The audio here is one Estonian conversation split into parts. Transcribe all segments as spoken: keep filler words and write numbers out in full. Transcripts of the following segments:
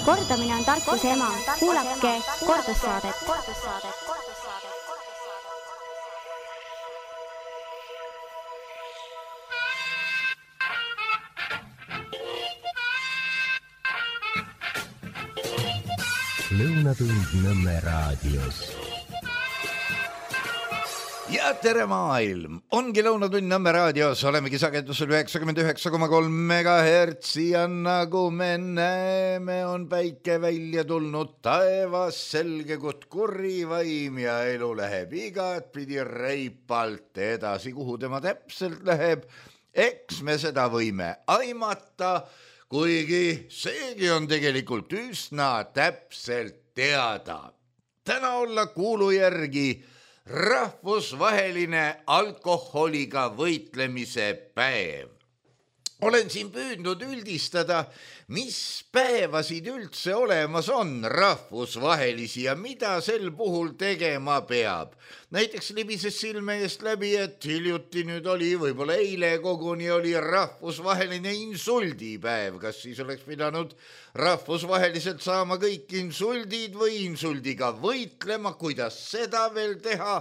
Kordamine on tarkuse ema. Kuulake kordussaadet. Lõunatund Nõmme raadios. Ja tere maailm! Ongi Lõunatund Nõmme raadios, olemegi sagedusel üheksakümmend üheksa koma kolm megahertsi ja nagu me näeme, on päike välja tulnud taevas selge kut kurivaim ja elu läheb igat pidi reipalt edasi, kuhu tema täpselt läheb. Eks me seda võime aimata, kuigi seegi on tegelikult üsna täpselt teada. Täna olla kuulu järgi rahvusvaheline alkoholiga võitlemise päev. Olen siin püüdnud üldistada, mis päevasid üldse olemas on rahvusvahelisi ja mida sel puhul tegema peab. Näiteks libises silme eest läbi, et hiljuti nüüd oli, võib-olla eile koguni oli rahvusvaheline insuldipäev. Kas siis oleks pidanud rahvusvaheliselt saama kõik insuldid või insuldiga võitlema, kuidas seda veel teha?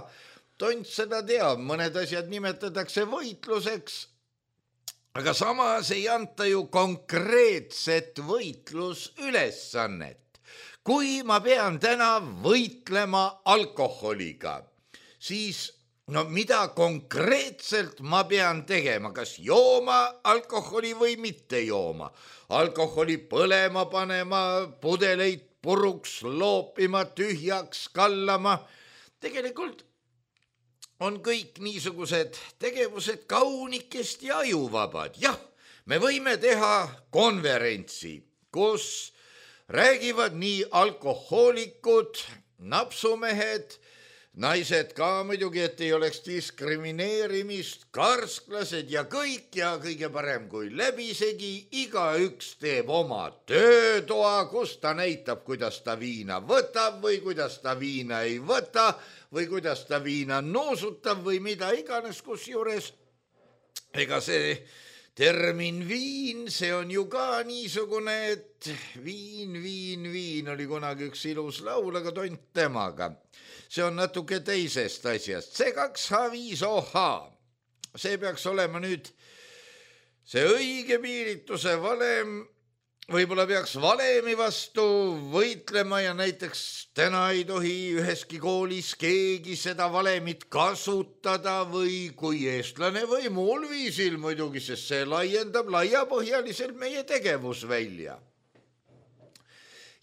Tont seda teab, mõned asjad nimetatakse võitluseks, aga samas ei anta ju konkreetset võitlusülesannet. Kui ma pean täna võitlema alkoholiga, siis no mida konkreetselt ma pean tegema, kas jooma alkoholi või mitte jooma? Alkoholi põlema panema, pudeleid puruks loopima, tühjaks kallama. Tegelikult on kõik niisugused tegevused kaunikesti ajuvabad. Jah, me võime teha konverentsi, kus räägivad nii alkohoolikud, napsumehed, naised ka muidugi, et ei oleks diskrimineerimist, karsklased ja kõik ja kõige parem kui läbisegi. Igaüks teeb oma töötoa, kus ta näitab, kuidas ta viina võtab või kuidas ta viina ei võta või kuidas ta viina noosutab või mida iganes, kus juures. Ega see termin viin, see on ju ka niisugune, et viin, viin, viin oli kunagi üks ilus laul, aga tont temaga. See on natuke teisest asjast. C kaks H viis O H. See peaks olema nüüd see õige piirituse valem. Võib-olla peaks valemi vastu võitlema ja näiteks täna ei tohi üheski koolis keegi seda valemit kasutada või kui eestlane või muul viisil muidugi, sest see laiendab laiapõhjaliselt meie tegevusvälja.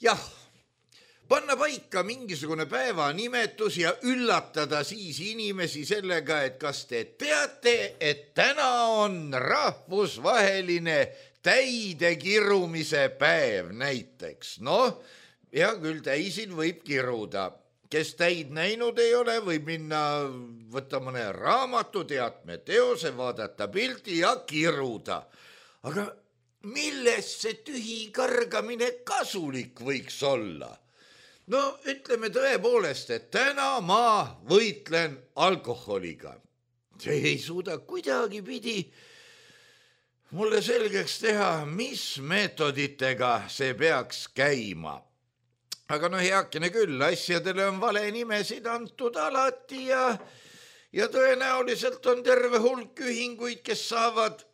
Jah, panna paika mingisugune päevanimetus ja üllatada siis inimesi sellega, et kas te teate, et täna on rahvusvaheline täide kirumise päev näiteks. No, ja küll täisil võib kiruda. Kes täid näinud ei ole, võib minna võtta mõne raamatu, teatme teose, vaadata pilti ja kiruda. Aga millest see tühi kargamine kasulik võiks olla? No, ütleme tõepoolest, et täna ma võitlen alkoholiga. See ei suuda kuidagi pidi mulle selgeks teha, mis meetoditega see peaks käima. Aga no heakene küll, asjadele on vale nimesid antud alati ja, ja tõenäoliselt on terve hulk ühinguid, kes saavad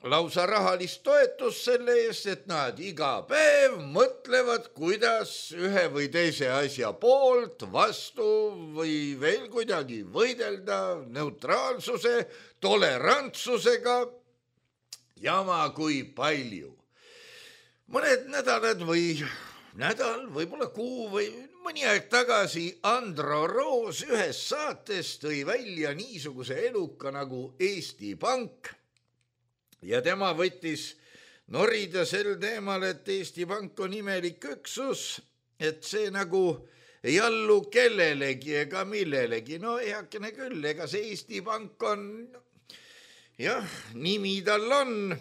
lausa rahalist toetust selle eest, et nad iga päev mõtlevad, kuidas ühe või teise asja poolt, vastu või veel kuidagi võidelda neutraalsuse, tolerantsusega. Jama kui palju. Mõned nädalad või nädal, võib-olla kuu või mõni aeg tagasi Andro Roos ühes saates tõi välja niisuguse eluka nagu Eesti Pank ja tema võttis norida sel teemal, et Eesti Pank on imelik üksus, et see nagu ei allu kellelegi ega millelegi. No heakene küll, ega see Eesti Pank on... Jah, nimi tal on,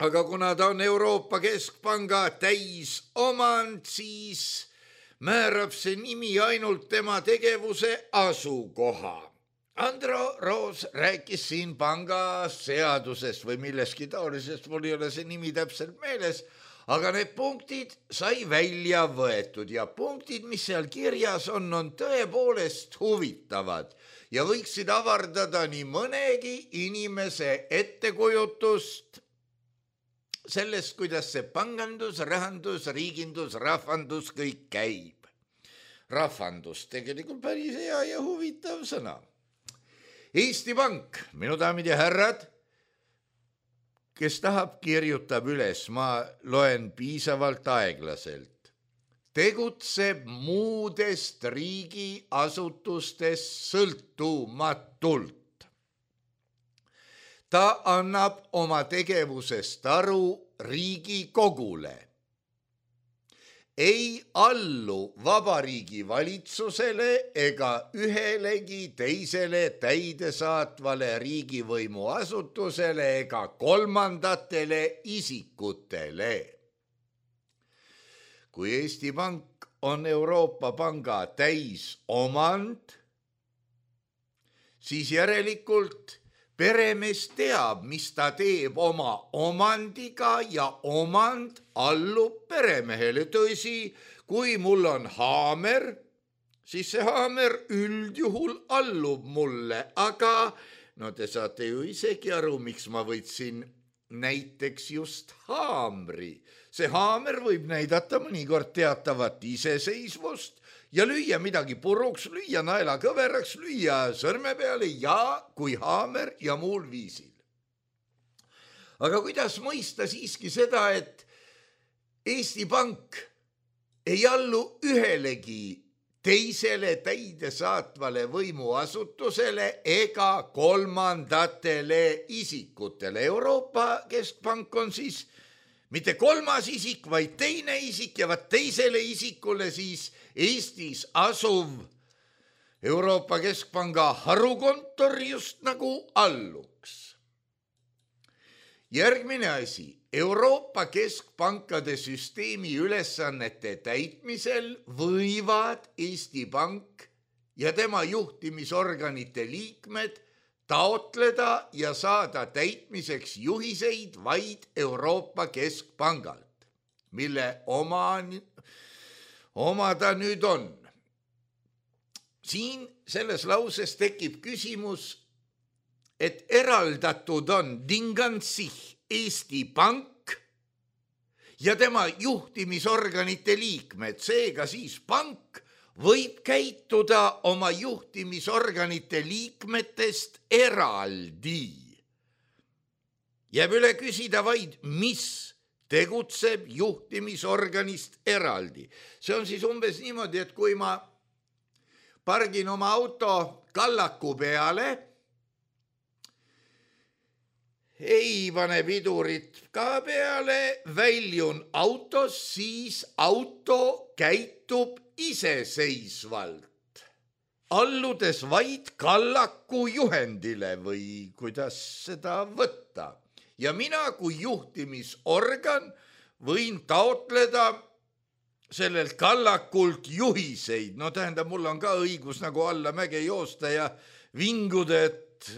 aga kuna ta on Euroopa Keskpanga täisomand, siis määrab see nimi ainult tema tegevuse asukoha. Andro Roos rääkis siin panga seadusest või milleski taolisest, mul ei ole see nimi täpselt meeles, aga need punktid sai välja võetud ja punktid, mis seal kirjas on, on tõepoolest huvitavad ja võiksid avardada nii mõnegi inimese ettekujutust sellest, kuidas see pangandus, rahandus, riigindus, rahvandus kõik käib. Rahvandus tegelikult päris hea ja huvitav sõna. Eesti Pank, minu daamid ja härrad, kes tahab, kirjutab üles, ma loen piisavalt aeglaselt, tegutseb muudest riigiasutustest sõltumatult. Ta annab oma tegevusest aru Riigikogule. Ei allu Vabariigi valitsusele ega ühelegi teisele täidesaatvale riigivõimu asutusele ega kolmandatele isikutele. Kui Eesti Pank on Euroopa Panga täisomand, siis järelikult peremees teab, mis ta teeb oma omandiga ja omand allub peremehele. Tõsi, kui mul on haamer, siis see haamer üldjuhul allub mulle, aga no te saate ju isegi aru, miks ma võtsin näiteks just haamri. See haamer võib näidata mõnikord teatavat iseseisvust ja lüüa midagi puruks, lüüa naela kõveraks, lüüa sõrme peale ja kui haamer ja muul viisil. Aga kuidas mõista siiski seda, et Eesti Pank ei allu ühelegi teisele täidesaatvale võimuasutusele ega kolmandatele isikutele? Euroopa Keskpank on siis mitte kolmas isik, vaid teine isik ja vaat teisele isikule siis Eestis asuv Euroopa Keskpanga harukontor just nagu alluks. Järgmine asi, Euroopa Keskpankade süsteemi ülesannete täitmisel võivad Eesti Pank ja tema juhtimisorganite liikmed taotleda ja saada täitmiseks juhiseid vaid Euroopa Keskpangalt, mille oma, oma ta nüüd on. Siin selles lauses tekib küsimus, et eraldatud on Dingansih Eesti Pank ja tema juhtimisorganite liikmed, seega siis pank võib käituda oma juhtimisorganite liikmetest eraldi. Jääb üle küsida vaid, mis tegutseb juhtimisorganist eraldi. See on siis umbes niimoodi, et kui ma pargin oma auto kallaku peale, ei pane pidurit ka peale, väljun autos, siis auto käitub iseseisvalt, alludes vaid kallaku juhendile või kuidas seda võtta. Ja mina kui juhtimisorgan võin taotleda sellelt kallakult juhiseid. No tähendab, mul on ka õigus nagu alla mäge joosta ja vinguda, et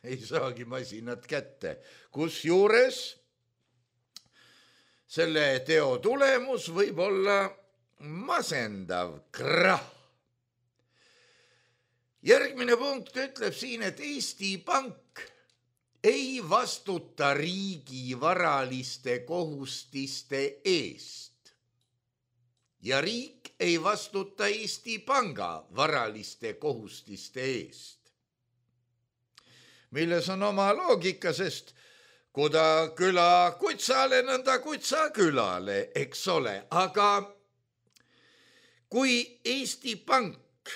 ei saagi masinat kätte. Kusjuures selle teo tulemus võib olla masendav krah. Järgmine punkt ütleb siin, et Eesti Pank ei vastuta riigi varaliste kohustiste eest ja riik ei vastuta Eesti Panga varaliste kohustiste eest, milles on oma loogika, sest kuda küla kutsale, nõnda kutsa külale, eks ole, aga kui Eesti Pank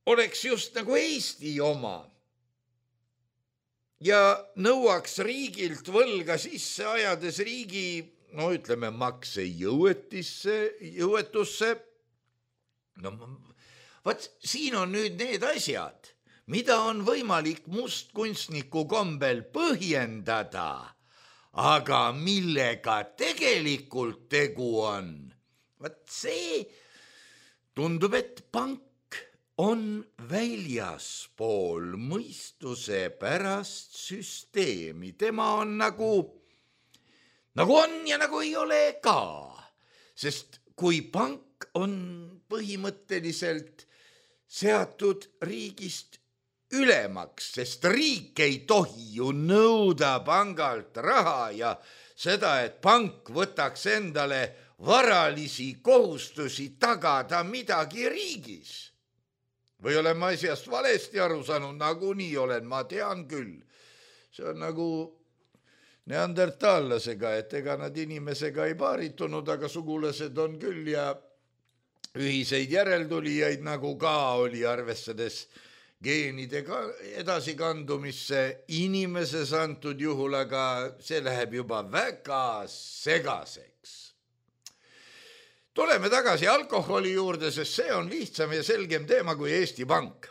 oleks just nagu Eesti oma ja nõuaks riigilt võlga sisse, ajades riigi, no ütleme, makse jõuetisse, jõuetusse, no vaat siin on nüüd need asjad, mida on võimalik mustkunstniku kombel põhjendada, aga millega tegelikult tegu on. Vaat see tundub, et pank on väljaspool mõistuse pärast süsteemi. Tema on nagu, nagu on ja nagu ei ole ka. Sest kui pank on põhimõtteliselt seatud riigist ülemaks, sest riik ei tohi ju nõuda pangalt raha ja seda, et pank võtaks endale varalisi kohustusi tagada midagi riigis. Või olen ma asjast valesti aru saanud, nagu nii olen, ma tean küll. See on nagu neandertaallasega, et ega nad inimesega ei paaritunud, aga sugulased on küll ja ühiseid järeltulijaid nagu ka oli, arvestades geenide edasikandumisse inimeses antud juhul, aga see läheb juba väga segaseks. Tuleme tagasi alkoholi juurde, sest see on lihtsam ja selgem teema kui Eesti Pank.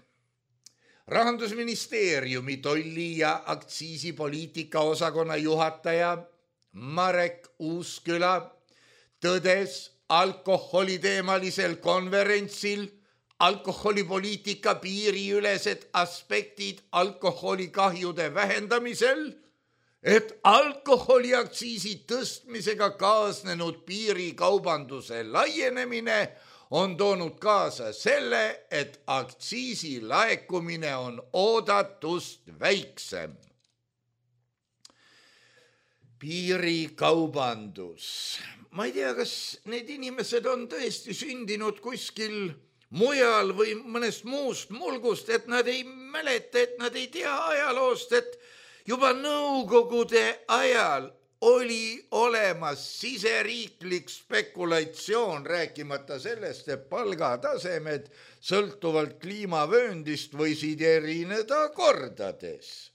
Rahandusministeeriumi tolli- ja aktsiisipoliitika osakonna juhataja Marek Uusküla tõdes alkoholiteemalisel konverentsil alkoholipoliitika piiriülesed aspektid alkoholikahjude vähendamisel, et alkoholiaktsiisi tõstmisega kaasnenud piirikaubanduse laienemine on toonud kaasa selle, et aktsiisi laekumine on oodatust väiksem. Piirikaubandus. Ma ei tea, kas need inimesed on tõesti sündinud kuskil mujal või mõnest muust mulgust, et nad ei mäleta, et nad ei tea ajaloost, et juba nõukogude ajal oli olemas siseriiklik spekulatsioon, rääkimata sellest, et palgatasemed sõltuvalt kliimavööndist võisid erineda kordades.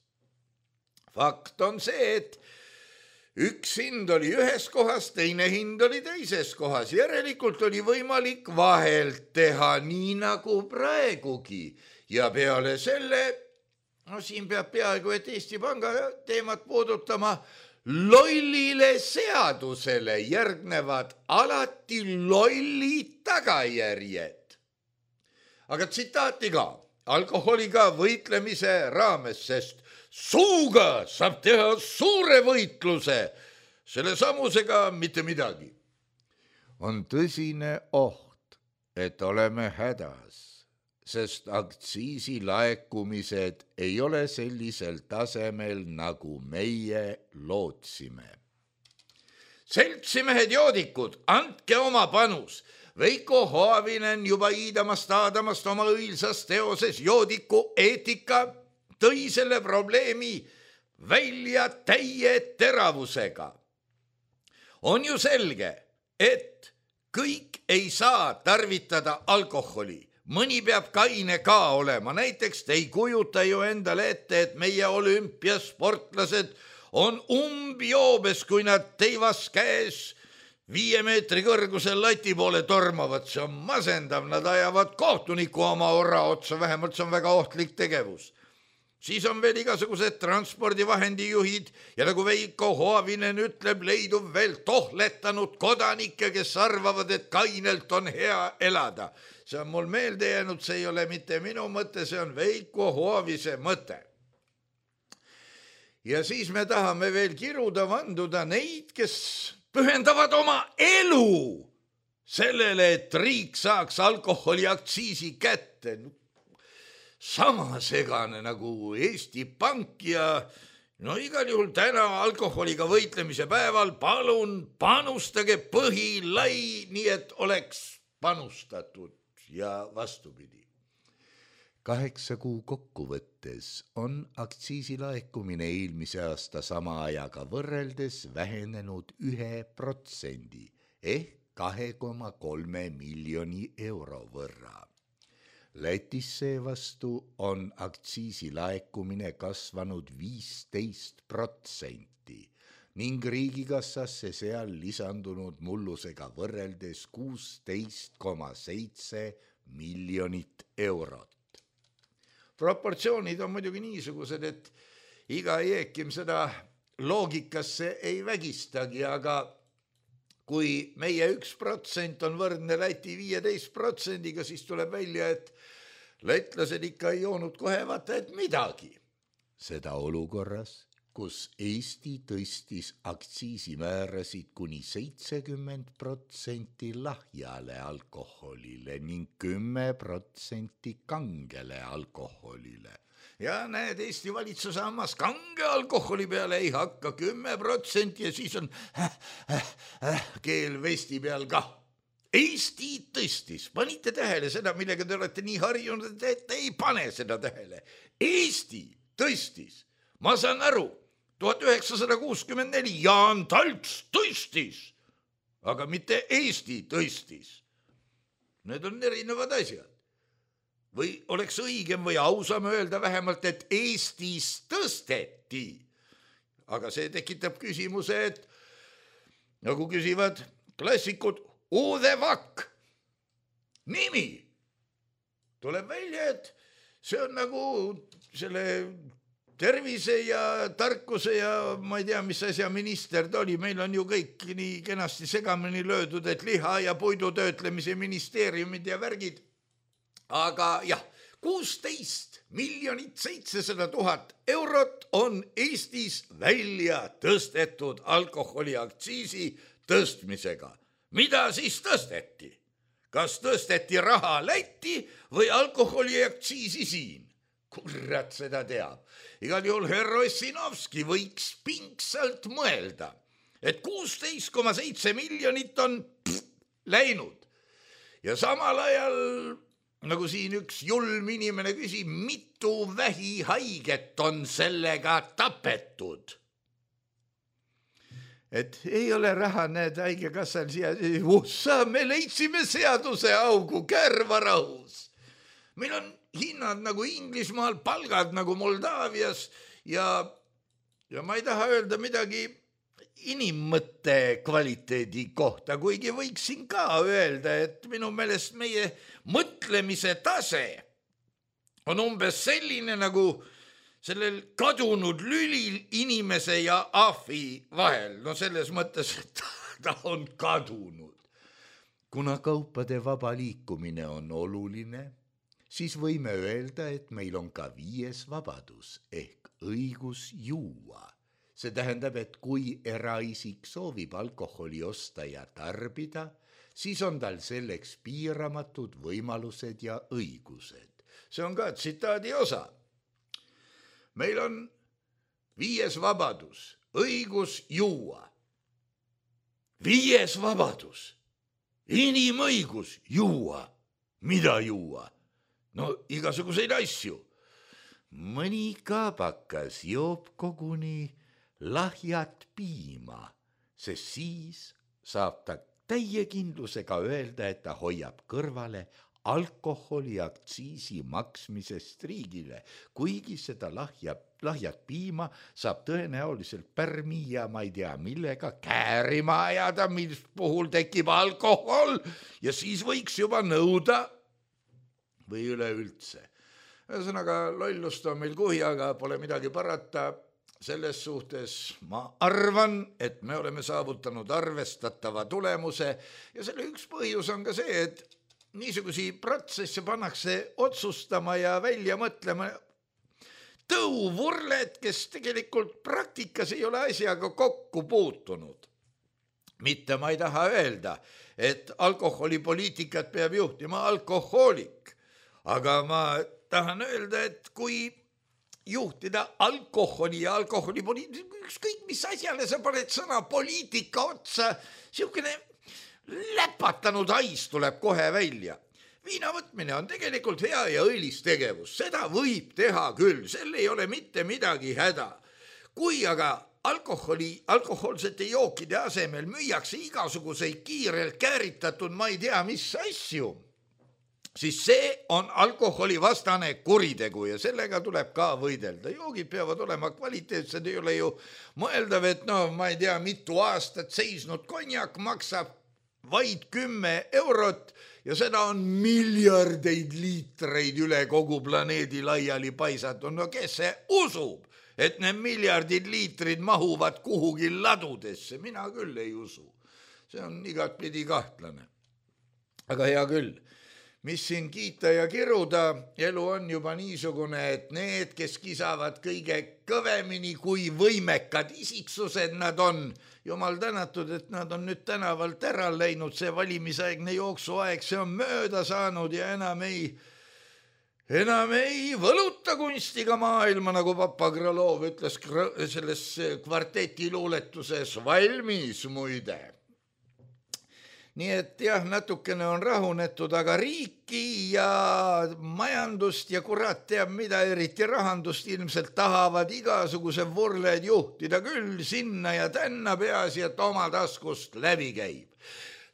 Fakt on see, et üks hind oli ühes kohas, teine hind oli teises kohas. Järelikult oli võimalik vahelt teha nii nagu praegugi. Ja peale selle, no siin peab peaaegu, et Eesti Panga teemat puudutama, lollile seadusele järgnevad alati lolli tagajärjed. Aga tsitaati ka alkoholiga võitlemise raames, sest suuga saab teha suure võitluse, selle samusega mitte midagi. On tõsine oht, et oleme hädas, sest aktsiisi laekumised ei ole sellisel tasemel, nagu meie lootsime. Seltsimehed joodikud, andke oma panus. Veiko Hoavinen juba iidamast aadamast oma õilsas teoses joodiku eetika tõi selle probleemi välja täie teravusega. On ju selge, et kõik ei saa tarvitada alkoholi. Mõni peab kaine ka olema, näiteks te ei kujuta ju endale ette, et meie olümpiasportlased on umbjoobes, kui nad teivas käes viie meetri kõrgusel lati poole tormavad. See on masendav, nad ajavad kohtuniku oma orra otsa, vähemalt see on väga ohtlik tegevus. Siis on veel igasugused transpordivahendijuhid ja nagu Veiko Hoavinen ütleb, leidub veel tohletanud kodanikke, kes arvavad, et kainelt on hea elada. See on mul meelde jäänud, see ei ole mitte minu mõte, see on Veiko Hoavise mõte. Ja siis me tahame veel kiruda vanduda neid, kes pühendavad oma elu sellele, et riik saaks alkoholiaktsiisi kätte. Sama segane nagu Eesti Pank ja no igal juhul täna alkoholiga võitlemise päeval palun panustage põhilai, nii et oleks panustatud ja vastupidi. Kaheksa kuu kokkuvõttes on aktsiisi laekumine eelmise aasta sama ajaga võrreldes vähenenud ühe protsendi ehk kahe koma kolme miljoni euro võrra. Lätis seevastu on aktsiisi laekumine kasvanud viisteist protsenti ning riigikassasse seal lisandunud mullusega võrreldes kuusteist koma seitse miljonit eurot. Proportsioonid on muidugi niisugused, et iga jeekim seda loogikasse ei vägistagi, aga kui meie üks protsent on võrdne Läti viieteist protsendiga, siis tuleb välja, et lätlased ikka ei joonud kohe vaata, et midagi. Seda olukorras, kus Eesti tõstis aktsiisimäärasid kuni seitsekümmend protsenti lahjale alkoholile ning kümme protsenti kangele alkoholile. Ja näed, Eesti valitsus hammas kange alkoholi peale ei hakka kümme protsenti ja siis on äh, äh, äh, keel vesti peal kah. Eesti tõstis, panite tähele seda, millega te olete nii harjunud, et te ei pane seda tähele. Eesti tõstis, ma saan aru, tuhat üheksasada kuuskümmend neli Jaan Talts tõstis, aga mitte Eesti tõstis. Need on erinevad asjad. Või oleks õigem või ausam öelda vähemalt, et Eestis tõsteti. Aga see tekitab küsimuse, et nagu küsivad klassikud, Ude Vakk, nimi. Tuleb välja, et see on nagu selle tervise ja tarkuse ja ma ei tea, mis asja minister ta oli. Meil on ju kõik nii kenasti segamini löödud, et liha ja puidutöötlemise ministeeriumid ja värgid. Aga jah, kuusteist miljonit seitsesada tuhat eurot on Eestis välja tõstetud alkoholiaktsiisi tõstmisega. Mida siis tõsteti? Kas tõsteti raha Lätti või alkoholiaktsiisi siin? Kurat seda teab. Igal juhul härra Ossinovski võiks pingsalt mõelda, et kuusteist koma seitse miljonit on pff, läinud. Ja samal ajal, nagu siin üks julm inimene küsib, mitu vähihaiget on sellega tapetud. Et ei ole raha, näed, haigekassal siia, ussa, me leidsime seaduse augu kärvarahus. Meil on hinnad nagu Inglismaal, palgad nagu Moldaavias ja, ja ma ei taha öelda midagi inimmõtte kvaliteedi kohta, kuigi võiksin ka öelda, et minu meelest meie mõtlemise tase on umbes selline nagu sellel kadunud lülil inimese ja ahvi vahel. No selles mõttes, et ta on kadunud. Kuna kaupade vaba liikumine on oluline, siis võime öelda, et meil on ka viies vabadus ehk õigus juua. See tähendab, et kui eraisik soovib alkoholi osta ja tarbida, siis on tal selleks piiramatud võimalused ja õigused. See on ka tsitaadi osa. Meil on viies vabadus, õigus juua. Viies vabadus, inimõigus juua. Mida juua? No igasuguseid asju. Mõni kaabakas joob koguni lahjat piima, sest siis saab ta täie kindlusega öelda, et ta hoiab kõrvale alkoholiaktsiisi maksmisest riigile, kuigi seda lahja, lahjat piima saab tõenäoliselt pärmi ja ma ei tea millega käärima ajada, mis puhul tekib alkohol ja siis võiks juba nõuda või üleüldse. Ühesõnaga, lollust on meil kuhi, aga pole midagi parata. Selles suhtes ma arvan, et me oleme saavutanud arvestatava tulemuse ja selle üks põhjus on ka see, et niisugusi protsesse pannakse otsustama ja välja mõtlema tõuvurled, kes tegelikult praktikas ei ole asjaga kokku puutunud. Mitte ma ei taha öelda, et alkoholipoliitikat peab juhtima alkohoolik, aga ma tahan öelda, et kui juhtida alkoholi ja alkoholipoliitika, ükskõik mis asjale sa paned sõna poliitika otsa, siukene läpatanud hais tuleb kohe välja. Viina võtmine on tegelikult hea ja õilis tegevus, seda võib teha küll, sel ei ole mitte midagi häda. Kui aga alkoholi, alkohoolsete jookide asemel müüakse igasuguseid kiirelt kääritatud, ma ei tea mis asju, siis see on alkoholivastane kuritegu ja sellega tuleb ka võidelda. Joogid peavad olema kvaliteetsed, ei ole ju mõeldav, et no ma ei tea, mitu aastat seisnud konjak maksab vaid kümme eurot ja seda on miljardeid liitreid üle kogu planeedi laiali paisatud. No kes see usub, et need miljardid liitrid mahuvad kuhugi ladudesse? Mina küll ei usu. See on igatpidi kahtlane. Aga hea küll. mis siin kiita ja kiruda, elu on juba niisugune, et need, kes kisavad kõige kõvemini, kui võimekad isiksused nad on, jumal tänatud, et nad on nüüd tänavalt ära läinud, see valimisaegne jooksuaeg, see on mööda saanud ja enam ei, enam ei võluta kunstiga maailma, nagu Papa Krõlov ütles selles kvarteti luuletuses valmis muide. Nii et jah, natukene on rahunetud, aga riiki ja majandust ja kurat teab mida, eriti rahandust ilmselt tahavad igasuguse vurled juhtida küll sinna ja tänna, peaasi, et oma taskust läbi käib.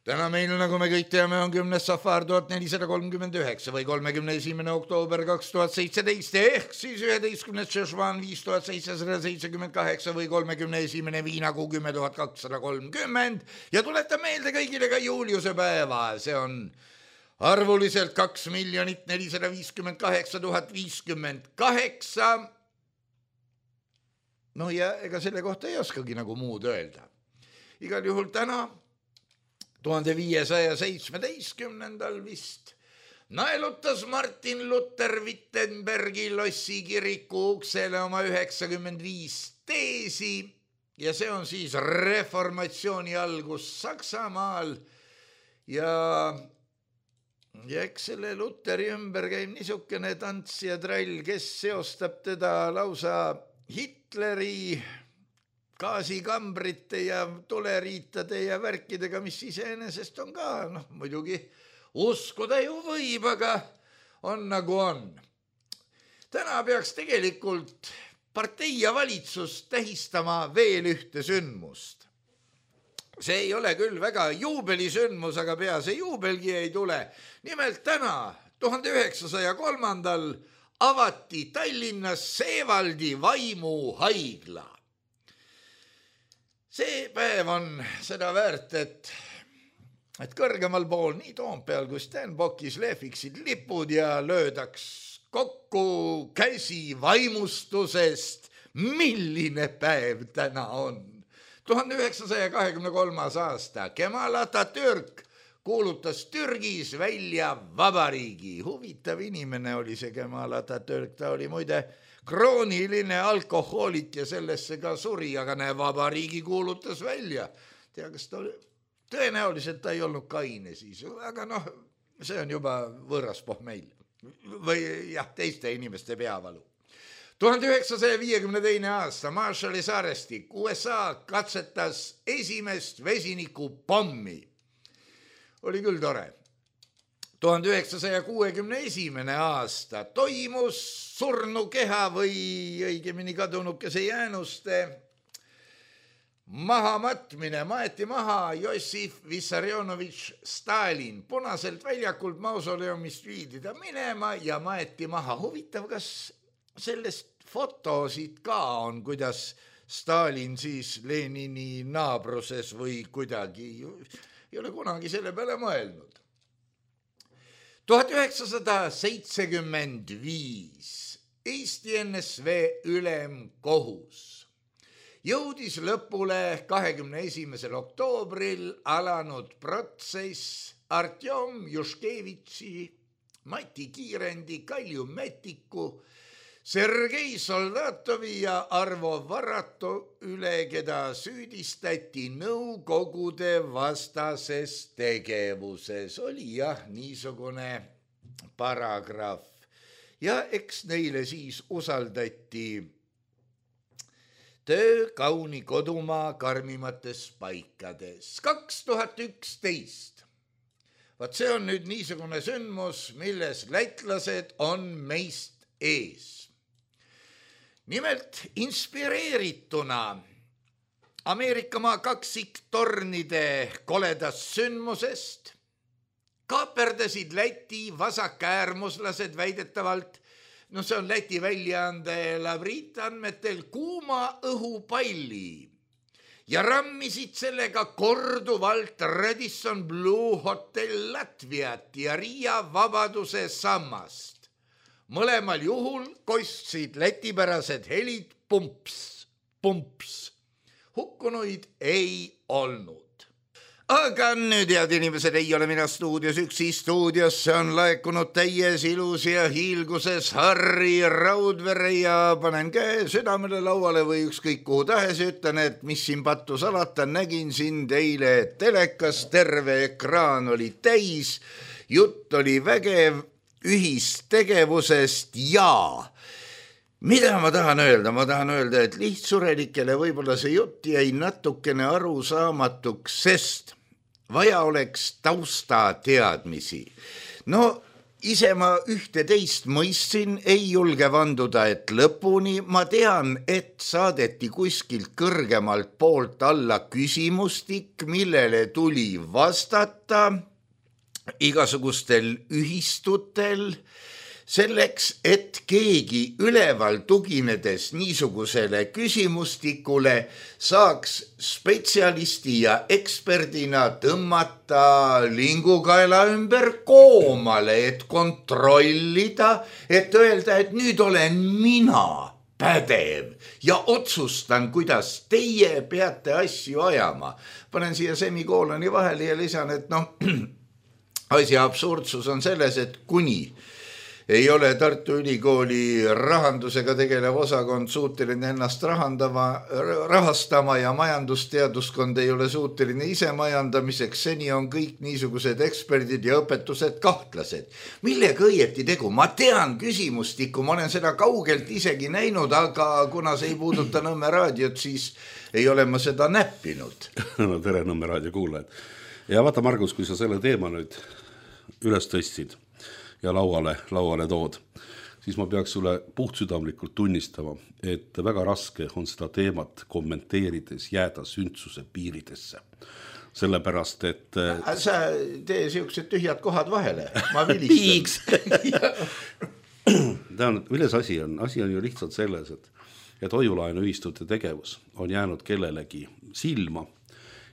Täna meil, nagu me kõik teame, on kümnes safar tuhat nelisada kolmkümmend üheksa või kolmekümne esimene oktoober kaks tuhat seitseteist ehk siis üheteistkümnes Šešvan viis tuhat seitsesada seitsekümmend kaheksa või kolmekümne esimene viinakuu kümme tuhat kakssada kolmkümmend ja tuleta meelde kõigile ka Juliuse päeva, see on arvuliselt kaks miljonit nelisada viiskümmend kaheksa tuhat viiskümmend kaheksa. No ja ega selle kohta ei oskagi nagu muud öelda. Igal juhul täna tuhande viiesaja seitsmeteistkümnendal vist naelutas Martin Luther Wittenbergi lossi kiriku uksele oma üheksakümmend viis teesi ja see on siis reformatsiooni algus Saksamaal ja, ja eks selle Lutheri ümber käib niisugune tants ja trall, kes seostab teda lausa Hitleri gaasikambrite ja tuleriitade ja värkidega, mis iseenesest on ka, noh muidugi uskuda ju võib, aga on nagu on. Täna peaks tegelikult partei ja valitsus tähistama veel ühte sündmust. See ei ole küll väga juubelisündmus, aga pea see juubelgi ei tule. Nimelt täna, tuhande üheksasaja kolmandal avati Tallinnas Seevaldi vaimuhaigla. See päev on seda väärt, et, et kõrgemal pool nii Toompeal kui Stenbockis lehviksid lipud ja löödaks kokku käsi vaimustusest, milline päev täna on. tuhande üheksasaja kahekümne kolmas aasta Kemal Atatürk kuulutas Türgis välja vabariigi. Huvitav inimene oli see Kemal Atatürk, ta oli muide krooniline alkohoolik ja sellesse ka suri, aga näe, vabariigi kuulutas välja. Tea, kas ta oli, tõenäoliselt ta ei olnud kaine siis, aga noh, see on juba võõras pohmeil või jah, teiste inimeste peavalu. tuhande üheksasaja viiekümne teine aasta Marshalli saarestik U S A katsetas esimest vesinikupommi. Oli küll tore. tuhande üheksasaja kuuekümne esimene aasta toimus surnukeha või õigemini kadunukese jäänuste mahamatmine. Maeti maha Jossif Vissarionovitš Stalin. Punaselt väljakult mausoleumist viidi ta minema ja maeti maha. Huvitav, kas sellest fotosid ka on, kuidas Stalin siis Lenini naabruses või kuidagi, ei ole kunagi selle peale mõelnud. tuhat üheksasada seitsekümmend viis Eesti N S V ülemkohus jõudis lõpule kahekümne esimesel oktoobril alanud protsess Artjom Juškevitši, Mati Kiirendi, Kalju Metiku, Sergei Soldatovi ja Arvo Varato üle, keda süüdistati nõukogude vastases tegevuses. Oli jah, niisugune paragrahv. Ja eks neile siis usaldati töö kauni kodumaa karmimates paikades. kaks tuhat üksteist. Vaat see on nüüd niisugune sündmus, milles lätlased on meist ees. Nimelt inspireerituna Ameerikamaa kaksiktornide koledast sündmusest kaaperdasid Läti vasakäärmuslased väidetavalt, no see on Läti väljaande Lavrit andmetel, kuuma õhupalli ja rammisid sellega korduvalt Radisson Blue Hotel Latviat ja Riia Vabaduse sammast. Mõlemal juhul kostsid lätipärased helid pumps, pumps. Hukkunuid ei olnud. aga nüüd, head inimesed, ei ole mina stuudios üksi, stuudiosse on laekunud täies ilus ja hiilguses Harri Raudvere ja panen käe südamele lauale või ükskõik kuhu tahes, ütlen, et mis siin pattu salata, nägin sind eile telekas, terve ekraan oli täis, jutt oli vägev ühistegevusest ja mida ma tahan öelda? Ma tahan öelda, et lihtsurelikele võib-olla see jutt jäi natukene arusaamatuks, sest vaja oleks tausta teadmisi. No ise ma ühte teist mõistsin, ei julge vanduda, et lõpuni. Ma tean, et saadeti kuskilt kõrgemalt poolt alla küsimustik, millele tuli vastata igasugustel ühistutel, selleks, et keegi üleval tuginedes niisugusele küsimustikule saaks spetsialisti ja eksperdina tõmmata lingukaela ümber koomale, et kontrollida, et öelda, et nüüd olen mina pädev ja otsustan, kuidas teie peate asju ajama. Panen siia semikooloni vahele ja lisan, et noh, asja absurdsus on selles, et kuni ei ole Tartu Ülikooli rahandusega tegelev osakond suuteline ennast rahandama, rahastama ja majandusteaduskond ei ole suuteline ise majandamiseks, seni on kõik niisugused eksperdid ja õpetused kahtlased. Millega õieti tegu? Ma tean küsimustikku, ma olen seda kaugelt isegi näinud, aga kuna see ei puuduta Nõmme raadiot, siis ei ole ma seda näppinud. No tere Nõmme raadio kuulajad. Ja vaata, Margus, kui sa selle teema nüüd üles tõstsid ja lauale, lauale tood, siis ma peaks sulle puhtsüdamlikult tunnistama, et väga raske on seda teemat kommenteerides jääda sündsuse piiridesse. Sellepärast, et sa tee siuksed tühjad kohad vahele, ma vilistan. Tean, milles asi on? Asi on ju lihtsalt selles, et, et hoiulaenuühistute tegevus on jäänud kellelegi silma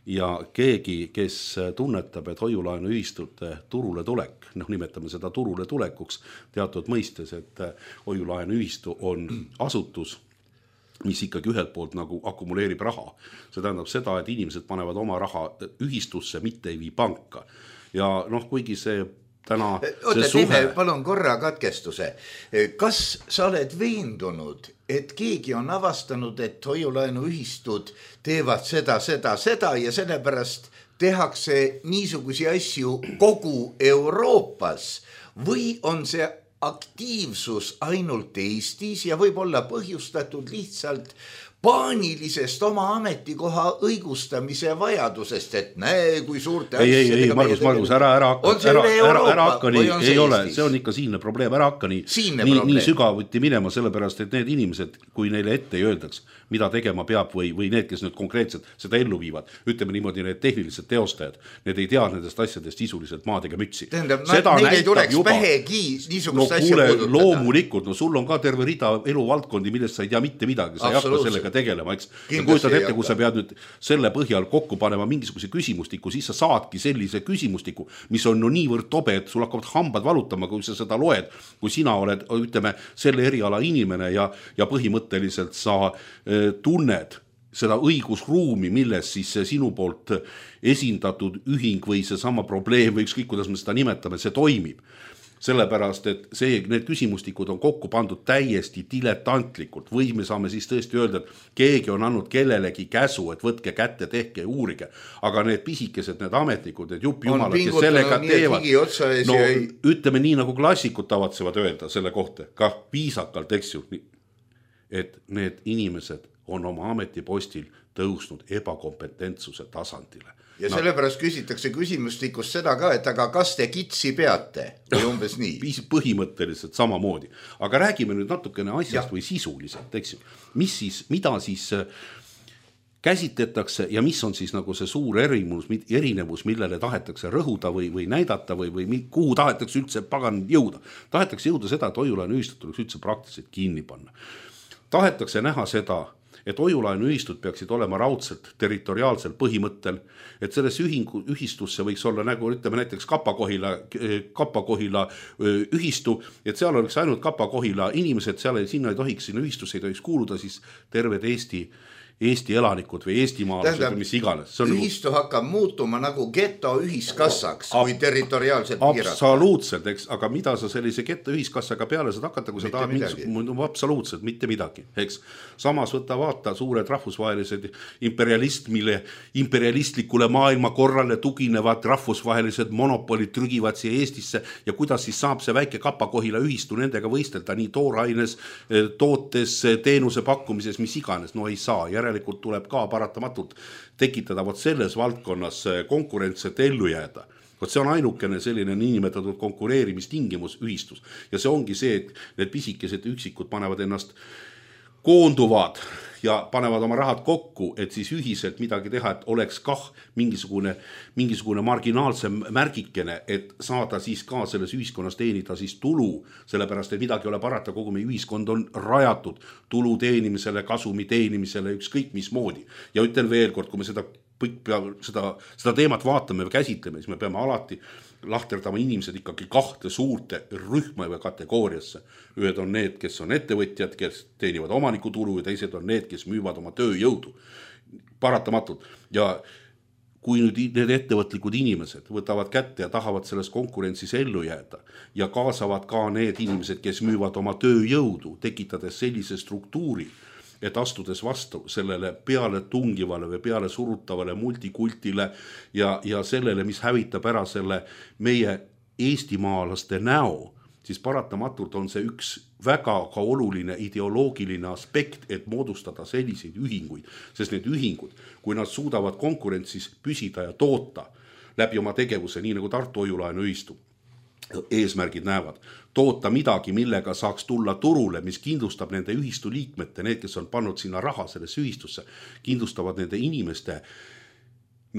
ja keegi, kes tunnetab, et hoiulaenuühistute turule tulek, noh nimetame seda turule tulekuks teatud mõistes, et hoiulaenuühistu on asutus, mis ikkagi ühelt poolt nagu akumuleerib raha. See tähendab seda, et inimesed panevad oma raha ühistusse, mitte ei vii panka. Ja noh, kuigi see täna Oota, see suhe... teeme palun korra katkestuse. Kas sa oled veendunud, et keegi on avastanud, et hoiulaenuühistud teevad seda, seda, seda ja sellepärast tehakse niisugusi asju kogu Euroopas või on see aktiivsus ainult Eestis ja võib olla põhjustatud lihtsalt paanilisest oma ametikoha õigustamise vajadusest, et näe, kui suurte ei, ei, ei, Margus, Margus, ära, ära hakka, ära, ära, ära hakka nii, ei Eestis? Ole, see on ikka siinne probleem, ära hakka nii, nii, nii sügavuti minema, sellepärast, et need inimesed, kui neile ette ei öeldaks, mida tegema peab või, või need, kes nüüd konkreetselt seda ellu viivad, ütleme niimoodi, need tehnilised teostajad, need ei tea nendest asjadest sisuliselt maadega mütsi. Tähendab, neil ei tuleks juba pähegi niisugust no, asja puudutada. Loomulikult, no sul on ka terve rida eluvaldkondi, millest sa ei tea mitte midagi, sa ei hakka sellega tegelema, eks. Ja kujutad ette, kui sa pead nüüd selle põhjal kokku panema mingisuguse küsimustiku, siis sa saadki sellise küsimustiku, mis on no niivõrd tobe, et sul hakkavad hambad valutama, kui sa seda loed, kui sina oled, ütleme, selle eriala inimene ja, ja põhimõtteliselt sa e, tunned seda õigusruumi, milles siis sinu poolt esindatud ühing või see sama probleem või ükskõik, kuidas me seda nimetame, see toimib. Sellepärast, et see, need küsimustikud on kokku pandud täiesti diletantlikult või me saame siis tõesti öelda, et keegi on andnud kellelegi käsu, et võtke kätte, tehke ja uurige. Aga need pisikesed, need ametnikud, need juppjumalad, kes sellega teevad, no ei... ütleme nii, nagu klassikud tavatsevad öelda selle kohta, ka viisakalt, eks ju, et need inimesed on oma ametipostil tõusnud ebakompetentsuse tasandile. Ja no, sellepärast küsitakse küsimustikus seda ka, et aga kas te kitsi peate või umbes nii? Põhimõtteliselt samamoodi. Aga räägime nüüd natukene asjast ja. Või sisuliselt, eks ju. Mis siis, mida siis käsitletakse ja mis on siis nagu see suur erinevus, erinevus millele tahetakse rõhuda või, või näidata või, või kuhu tahetakse üldse pagan jõuda. Tahetakse jõuda seda, et hoiulaenuühistud tuleks üldse praktiliselt kinni panna. Tahetakse näha seda, et hoiulaenuühistud peaksid olema raudselt territoriaalsel põhimõttel, et selles ühingu, ühistusse võiks olla nagu ütleme näiteks Kapa-Kohila, Kapa-Kohila ühistu, et seal oleks ainult Kapa-Kohila inimesed, seal ei, sinna ei tohiks, sinna ühistusse ei tohiks kuuluda siis terved Eesti Eesti elanikud või eestimaalased või mis iganes. Ühistu nagu... hakkab muutuma nagu geto ühiskassaks ab, kui territoriaalselt piirata. Absoluutselt, eks, aga mida sa sellise geto ühiskassaga peale saad hakata, kui sa tahad mingisugune, absoluutselt mitte midagi, eks. Samas võtta vaata suured rahvusvahelised imperialist, mille imperialistlikule maailmakorrale tuginevad rahvusvahelised monopolid trügivad siia Eestisse ja kuidas siis saab see väike Kapa-Kohila ühistu nendega võistelda nii tooraines, tootes, teenuse pakkumises, mis iganes, no ei saa. Järelikult tuleb ka paratamatult tekitada vot selles valdkonnas konkurents, et ellu jääda. Vot see on ainukene selline niinimetatud konkureerimistingimus ühistus. Ja see ongi see, et need pisikesed üksikud panevad ennast koonduvad ja panevad oma rahad kokku, et siis ühiselt midagi teha, et oleks kah mingisugune, mingisugune marginaalse märgikene, et saada siis ka selles ühiskonnas teenida siis tulu, sellepärast, et midagi ole parata, kogu meie ühiskond on rajatud tulu teenimisele, kasumi teenimisele, ükskõik mis moodi. Ja ütlen veel kord, kui me seda, seda, seda teemat vaatame või käsitleme, siis me peame alati lahterdama inimesed ikkagi kahte suurte rühma või kategooriasse. Ühed on need, kes on ettevõtjad, kes teenivad omanikutulu ja teised on need, kes müüvad oma tööjõudu. Paratamatult. Ja kui nüüd need ettevõtlikud inimesed võtavad kätte ja tahavad selles konkurentsis ellu jääda ja kaasavad ka need inimesed, kes müüvad oma tööjõudu, tekitades sellise struktuuri, et astudes vastu sellele peale tungivale või peale surutavale multikultile ja, ja sellele, mis hävitab ära selle meie eestimaalaste näo, siis paratamatult on see üks väga ka oluline ideoloogiline aspekt, et moodustada selliseid ühinguid, sest need ühingud, kui nad suudavad konkurentsis püsida ja toota läbi oma tegevuse, nii nagu Tartu Hoiulaenu ühistu eesmärgid näevad, toota midagi, millega saaks tulla turule, mis kindlustab nende ühistu liikmete, need, kes on pannud sinna raha sellesse ühistusse, kindlustavad nende inimeste,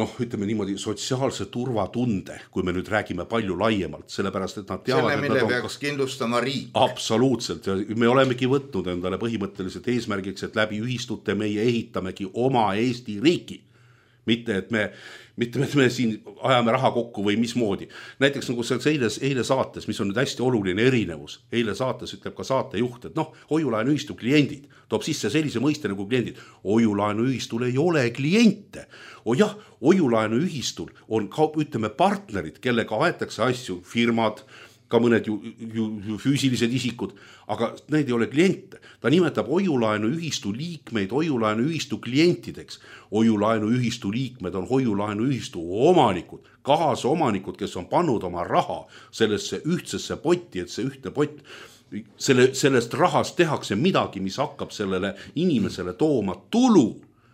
noh, ütleme niimoodi, sotsiaalse turvatunde, kui me nüüd räägime palju laiemalt, sellepärast, et nad teavad, selle, mille et nad peaks on... kindlustama riik. Absoluutselt, ja me olemegi võtnud endale põhimõtteliselt eesmärgiks, et läbi ühistute meie ehitamegi oma Eesti riiki. Mitte, et me, mitte, et me siin ajame raha kokku või mismoodi. Näiteks nagu see eile, eile saates, mis on nüüd hästi oluline erinevus, eile saates ütleb ka saatejuht, et noh, Hoiulaenu ühistu kliendid, toob sisse sellise mõiste nagu kliendid. Hoiulaenu ühistul ei ole kliente. O jah, Hoiulaenu ühistul on ka, ütleme, partnerid, kellega aetakse asju, firmad, ka mõned ju, ju, ju füüsilised isikud, aga need ei ole kliente. Ta nimetab Hoiulaenu ühistu liikmeid Hoiulaenu ühistu klientideks. Hoiulaenu ühistu liikmed on Hoiulaenu ühistu omanikud, kaasomanikud, kes on pannud oma raha sellesse ühtsesse potti, et see ühtne pott, selle, sellest rahast tehakse midagi, mis hakkab sellele inimesele tooma tulu.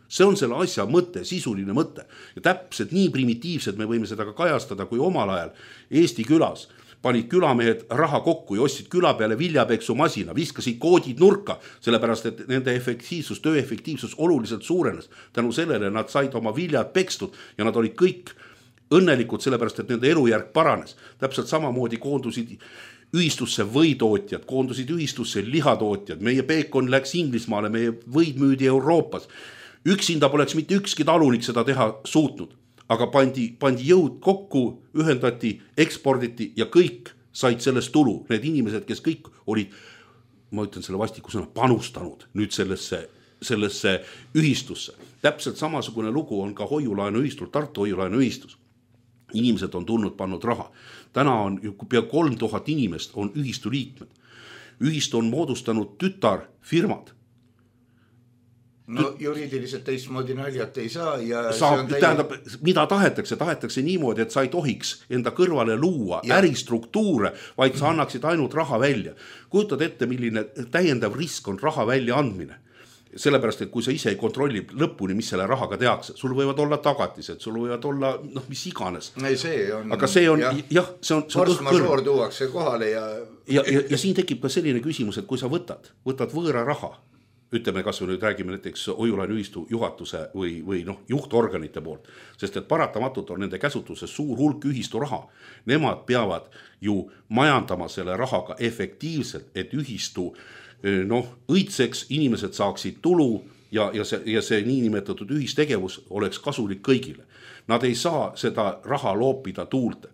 See on selle asja mõte, sisuline mõte. Ja täpselt nii primitiivselt me võime seda ka kajastada, kui omal ajal Eesti külas panid külamehed raha kokku ja ostsid küla peale viljapeksu masina, viskasid koodid nurka, sellepärast, et nende efektiivsus, töö efektiivsus oluliselt suurenes. Tänu sellele nad said oma viljad pekstud ja nad olid kõik õnnelikud, sellepärast, et nende elujärg paranes. Täpselt samamoodi koondusid ühistusse võitootjad, koondusid ühistusse lihatootjad, meie peekon läks Inglismaale, meie võid müüdi Euroopas. Üksinda poleks mitte ükski talunik seda teha suutnud. Aga pandi, pandi jõud kokku, ühendati, eksporditi ja kõik said sellest tulu. Need inimesed, kes kõik olid, ma ütlen selle vastiku sõna, panustanud nüüd sellesse, sellesse ühistusse. Täpselt samasugune lugu on ka Hoiulaenu ühistul, Tartu Hoiulaenu ühistus. Inimesed on tulnud, pannud raha. Täna on pea kolm tuhat inimest on ühistu liikmed. Ühistu on moodustanud tütarfirmad. No juriidiliselt teistmoodi naljat ei saa ja saab, täi... tähendab, mida tahetakse, tahetakse niimoodi, et sa ei tohiks enda kõrvale luua ja. äristruktuure, vaid sa annaksid ainult raha välja. Kujutad ette, milline täiendav risk on raha välja andmine. Sellepärast, et kui sa ise ei kontrolli lõpuni, mis selle rahaga tehakse, sul võivad olla tagatised, sul võivad olla noh, mis iganes. Ei, see on, aga see on, jah, jah see on, see on force majeure tuuakse kohale ja... Ja, ja... ja siin tekib ka selline küsimus, et kui sa võtad, võtad võõra raha, ütleme, kas või nüüd räägime näiteks Hoiulaenu ühistu juhatuse või, või noh, juhtorganite poolt, sest et paratamatult on nende käsutuses suur hulk ühistu raha. Nemad peavad ju majandama selle rahaga efektiivselt, et ühistu noh, õitseks, inimesed saaksid tulu ja, ja, see, ja see niinimetatud ühistegevus oleks kasulik kõigile. Nad ei saa seda raha loopida tuulte,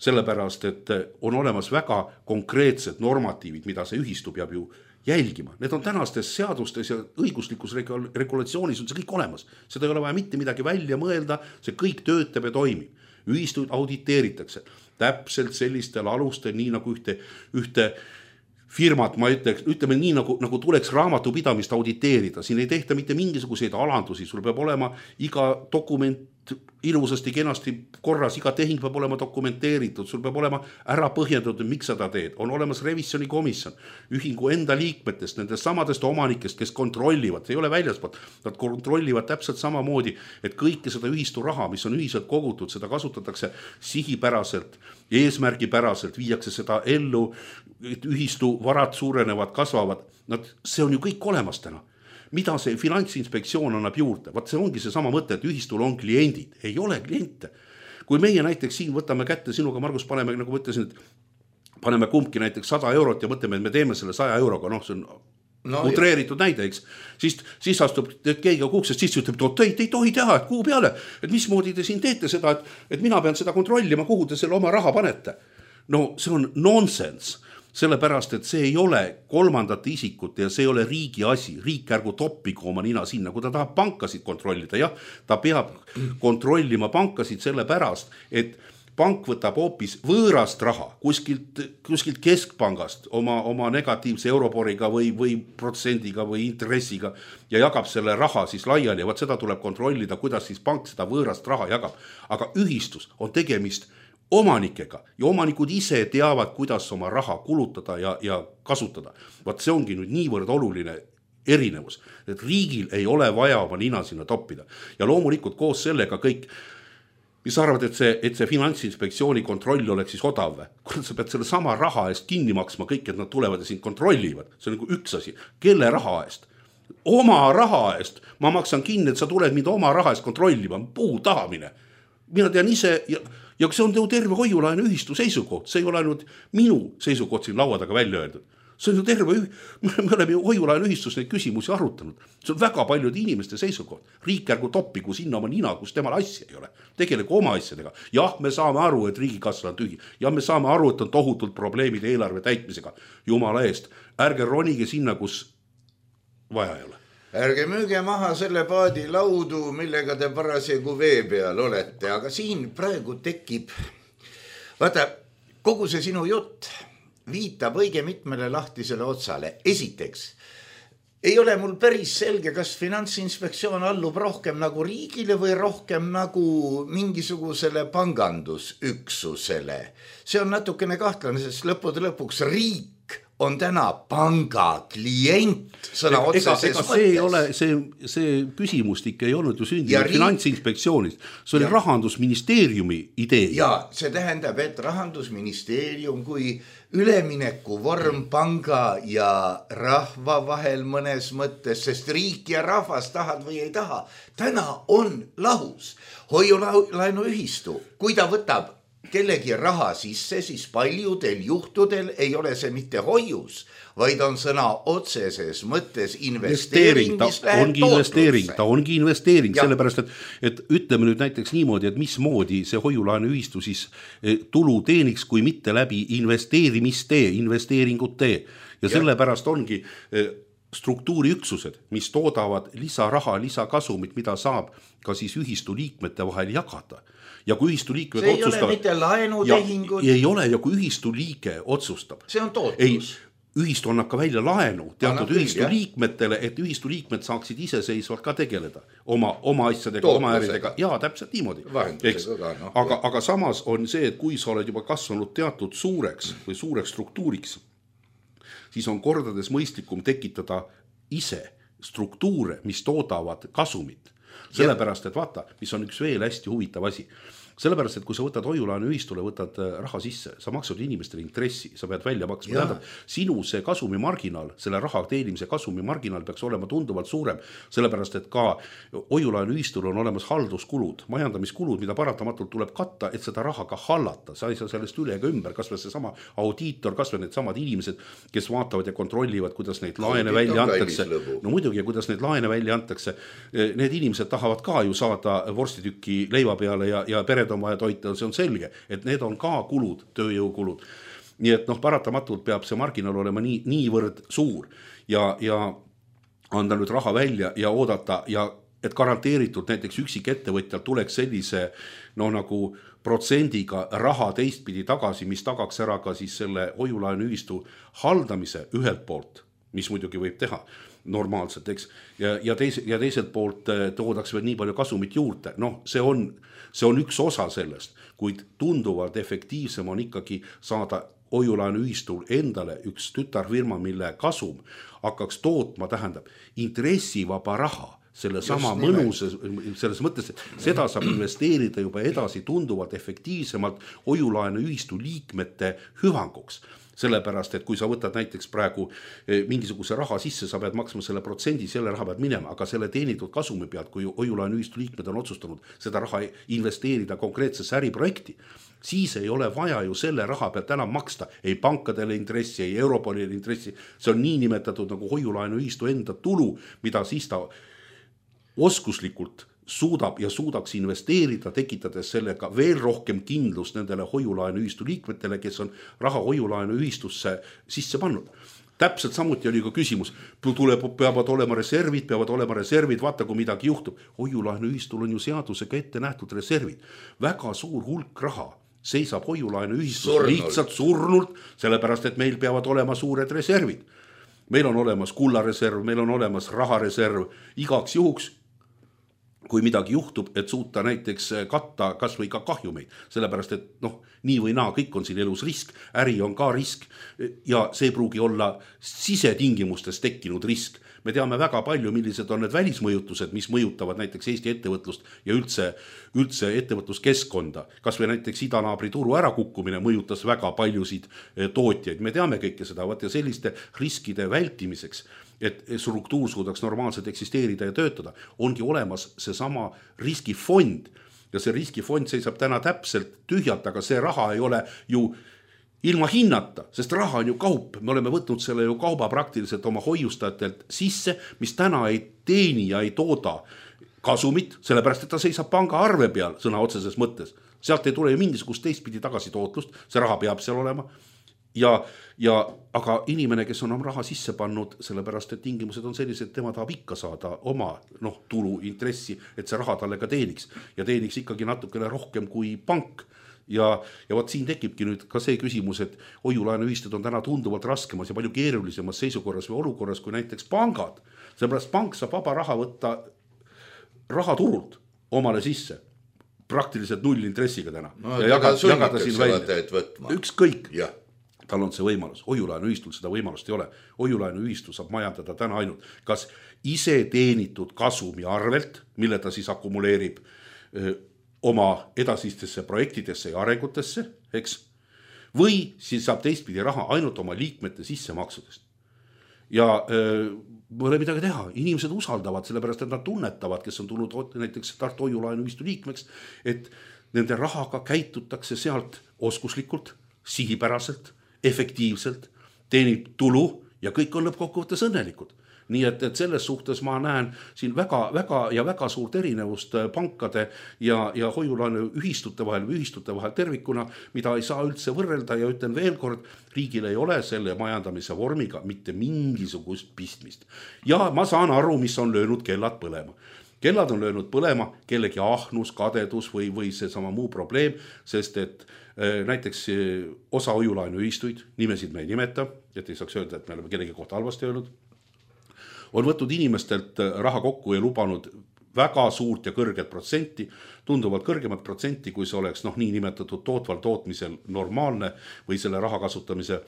sellepärast, et on olemas väga konkreetsed normatiivid, mida see ühistu peab ju jälgima. Need on tänastes seadustes ja õiguslikus regulatsioonis on see kõik olemas. Seda ei ole vaja mitte midagi välja mõelda, see kõik töötab ja toimib. Ühistuid auditeeritakse täpselt sellistel alustel, nii nagu ühte, ühte firmat, ma ütleks, ütleme nii, nagu, nagu tuleks raamatupidamist auditeerida. Siin ei tehta mitte mingisuguseid alandusi, sul peab olema iga dokument ilusasti, kenasti korras, iga tehing peab olema dokumenteeritud, sul peab olema ära põhjendatud, miks seda teed. On olemas revisjonikomisjon, ühingu enda liikmetest, nendest samadest omanikest, kes kontrollivad, ei ole väljaspoolt, nad kontrollivad täpselt samamoodi, et kõike seda ühistu raha, mis on ühiselt kogutud, seda kasutatakse sihipäraselt, eesmärgipäraselt, viiakse seda ellu, et ühistu varad suurenevad, kasvavad, nad, see on ju kõik olemas täna. Mida see Finantsinspektsioon annab juurde? Vaat see ongi see sama mõte, et ühistul on kliendid. Ei ole kliente. Kui meie näiteks siin võtame kätte, sinuga Margus paneme, nagu mõtlesin, et paneme kumbki näiteks sada eurot ja mõtleme, et me teeme selle saja euroga, noh, see on no, utreeritud jah. Näide, eks. Siis, siis astub keegi kuksest, siis ütleb, et ei, te ei tohi teha, et kuhu peale, et mismoodi te siin teete seda, et, et mina pean seda kontrollima, kuhu te selle oma raha panete. No see on nonsense. Sellepärast, et see ei ole kolmandate isikute ja see ei ole riigi asi. Riik ärgu toppigu oma nina sinna, kui ta tahab pankasid kontrollida. Jah, ta peab kontrollima pankasid sellepärast, et pank võtab hoopis võõrast raha kuskilt, kuskilt keskpangast oma, oma negatiivse euroboriga või, või protsendiga või intressiga ja jagab selle raha siis laiali. Ja võt seda tuleb kontrollida, kuidas siis pank seda võõrast raha jagab. Aga ühistus on tegemist omanikega ja omanikud ise teavad, kuidas oma raha kulutada ja, ja kasutada. Vaat see ongi nüüd niivõrd oluline erinevus, et riigil ei ole vaja oma nina sinna toppida. Ja loomulikult koos sellega kõik, mis arvad, et see, et see Finantsinspektsiooni kontroll oleks siis odav. Kui sa pead selle sama raha eest kinni maksma kõik, et nad tulevad ja sind kontrollivad. See on nagu üks asi. Kelle raha eest? Oma raha eest. Ma maksan kinni, et sa tuled mind oma raha eest kontrollima. Puu tahamine. Mina tean ise... Ja, Ja see on terve hoiulaenu ühistu seisukoht, see ei ole ainult minu seisukoht siin laua taga välja öeldud. See on ju terve, me oleme ju hoiulaenu ühistus neid küsimusi arutanud. See on väga paljude inimeste seisukoht. Riik ärgu toppigu sinna oma nina, kus temal asja ei ole. Tegelegu oma asjadega. Jah, me saame aru, et riigikassa on tühi. Ja me saame aru, et on tohutult probleemid eelarve täitmisega. Jumala eest, ärge ronige sinna, kus vaja ei ole. Ärge müüge maha selle paadi laudu, millega te parasjagu vee peal olete, aga siin praegu tekib, vaata, kogu see sinu jutt viitab õige mitmele lahtisele otsale. Esiteks, ei ole mul päris selge, kas Finantsinspektsioon allub rohkem nagu riigile või rohkem nagu mingisugusele pangandusüksusele. See on natukene kahtlane, sest lõppude lõpuks riik on täna panga klient sõna otseses mõttes. See ei ole, see, see küsimustik ei olnud ju sündinud riik... Finantsinspektsioonist. See oli ja. Rahandusministeeriumi idee. Ja see tähendab, et Rahandusministeerium kui ülemineku vorm panga ja rahva vahel mõnes mõttes, sest riik ja rahvas tahad või ei taha. Täna on lahus hoiulaenu ühistu, kui ta võtab kellegi raha sisse, siis paljudel juhtudel ei ole see mitte hoius, vaid on sõna otseses mõttes investeering, mis läheb ongi investeering, ta ongi investeering, ja. Sellepärast, et, et ütleme nüüd näiteks niimoodi, et mismoodi see hoiulaenu ühistu siis tulu teeniks, kui mitte läbi investeerimistee, investeeringutee. Ja, ja sellepärast ongi struktuuriüksused, mis toodavad lisaraha, lisakasumit, mida saab ka siis ühistu liikmete vahel jagada. Ja kui ühistu liikmed see otsustab... ei ole mitte laenutehingud. Ja ei ole, ja kui ühistu liige otsustab... See on tootlus. Ühistu annab ka välja laenu teatud ühistu küll, liikmetele, et ühistu liikmed saaksid iseseisvalt ka tegeleda oma, oma asjadega, tootlusega. Oma äridega. Jaa, täpselt niimoodi. Ka, no, aga, aga samas on see, et kui sa oled juba kasvanud teatud suureks või suureks struktuuriks, siis on kordades mõistlikum tekitada ise struktuure, mis toodavad kasumit. Sellepärast, et vaata, mis on üks veel hästi huvitav asi. Sellepärast, et kui sa võtad hoiulaenu ühistule, võtad raha sisse, sa maksad inimestele intressi, sa pead välja maksma. Tähendab, sinu see kasumi marginaal, selle raha teenimise kasumi marginaal peaks olema tunduvalt suurem, sellepärast, et ka hoiulaenu ühistul on olemas halduskulud, majandamiskulud, mida paratamatult tuleb katta, et seda raha ka hallata. Sa ei saa sellest üle ega ümber, kas või see sama audiitor, kas või need samad inimesed, kes vaatavad ja kontrollivad, kuidas neid laene välja antakse. No muidugi, kuidas neid laene välja antakse. Need inimesed tahavad ka ju saada vorstituki leiva peale ja, ja pere on vaja toita, see on selge, et need on ka kulud, tööjõukulud. nii et noh, paratamatult peab see marginaal olema nii, niivõrd suur ja, ja anda nüüd raha välja ja oodata ja et garanteeritud näiteks üksik ettevõtjal tuleks sellise noh nagu protsendiga raha teistpidi tagasi, mis tagaks ära ka siis selle hoiulaenuühistu haldamise ühelt poolt, mis muidugi võib teha normaalselt, eks, ja, ja, teise, ja teiselt poolt toodaks veel nii palju kasumit juurde. Noh, see on, see on üks osa sellest, kuid tunduvalt efektiivsem on ikkagi saada hoiulaenuühistul endale üks tütarfirma, mille kasum hakkaks tootma, tähendab intressivaba raha, selle sama mõnus, selles mõttes, et seda saab investeerida juba edasi tunduvalt efektiivsemalt hoiulaenuühistu liikmete hüvanguks. Sellepärast, et kui sa võtad näiteks praegu mingisuguse raha sisse, sa pead maksma selle protsendi, selle raha pead minema, aga selle teenitud kasumi pealt, kui hoiulaenuühistu liikmed on otsustanud seda raha investeerida konkreetsesse äriprojekti, siis ei ole vaja ju selle raha pealt enam maksta ei pankadele intressi, ei Europolile intressi. See on nii nimetatud nagu hoiulaenuühistu enda tulu, mida siis ta oskuslikult suudab ja suudaks investeerida, tekitades sellega veel rohkem kindlust nendele hoiulaenuühistu liikmetele, kes on raha hoiulaenuühistusse sisse pannud. Täpselt samuti oli ka küsimus, tuleb, peavad olema reservid, peavad olema reservid, vaata kui midagi juhtub. Hoiulaenuühistul on ju seadusega ette nähtud reservid. Väga suur hulk raha seisab hoiulaenuühistus Surnult. lihtsalt surnult, sellepärast, et meil peavad olema suured reservid. Meil on olemas kullareserv, meil on olemas rahareserv, igaks juhuks, kui midagi juhtub, et suuta näiteks katta kas või ka kahjumeid, sellepärast, et noh, nii või naa, kõik on siin elus risk, äri on ka risk ja see pruugi olla sisetingimustes tekkinud risk. Me teame väga palju, millised on need välismõjutused, mis mõjutavad näiteks Eesti ettevõtlust ja üldse, üldse ettevõtluskeskkonda. Kas või näiteks idanaabri turu ärakukkumine mõjutas väga paljusid tootjaid. Me teame kõike seda, ja selliste riskide vältimiseks, et struktuur suudaks normaalselt eksisteerida ja töötada, ongi olemas see sama riskifond. Ja see riskifond seisab täna täpselt tühjalt, aga see raha ei ole ju ilma hinnata, sest raha on ju kaup. Me oleme võtnud selle ju kauba praktiliselt oma hoiustajatelt sisse, mis täna ei teeni ja ei tooda kasumit, sellepärast, et ta seisab panga arve peal sõna otseses mõttes. Sealt ei tule ju mingisugust teistpidi tagasi tootlust, see raha peab seal olema. Ja, ja, aga inimene, kes on oma raha sisse pannud, sellepärast, et tingimused on sellised, et tema tahab ikka saada oma noh, tulu, intressi, et see raha talle ka teeniks. Ja teeniks ikkagi natukene rohkem kui pank. Ja, ja võt siin tekibki nüüd ka see küsimus, et hoiulaenuühistud on täna tunduvalt raskemas ja palju keerulisemas seisukorras või olukorras kui näiteks pangad. Sellepärast pank saab vaba raha võtta rahaturult omale sisse. Praktiliselt null intressiga täna. No, ja jagada, jagada siin välja. Ükskõik. Ja. Tal on see võimalus. Hoiulaenuühistul seda võimalust ei ole. Hoiulaenuühistu saab majandada täna ainult kas ise teenitud kasumi arvelt, mille ta siis akumuleerib öö, oma edasistesse projektidesse ja arengutesse, eks? Või siis saab teistpidi raha ainult oma liikmete sissemaksudest. Ja öö, pole midagi teha. Inimesed usaldavad, sellepärast, et nad tunnetavad, kes on tulnud näiteks Tartu hoiulaenuühistu liikmeks, et nende rahaga käitutakse sealt oskuslikult, sihipäraselt, efektiivselt, teenib tulu ja kõik on lõppkokkuvõttes õnnelikud. Nii et, et selles suhtes ma näen siin väga, väga ja väga suurt erinevust pankade ja, ja hoiulaenu ühistute vahel või ühistute vahel tervikuna, mida ei saa üldse võrrelda ja ütlen veel kord, riigil ei ole selle majandamise vormiga mitte mingisugust pistmist. Ja ma saan aru, mis on löönud kellad põlema. Kellad on löönud põlema kellegi ahnus, kadedus või, või see sama muu probleem, sest et äh, näiteks osa hoiulaenuühistuid, nimesid me ei nimeta, et ei saaks öelda, et me oleme kellegi kohta halvasti öelnud, on võtnud inimestelt raha kokku ja lubanud väga suurt ja kõrget protsenti, tunduvalt kõrgemat protsenti, kui see oleks noh, nii nimetatud tootval tootmisel normaalne või selle raha kasutamise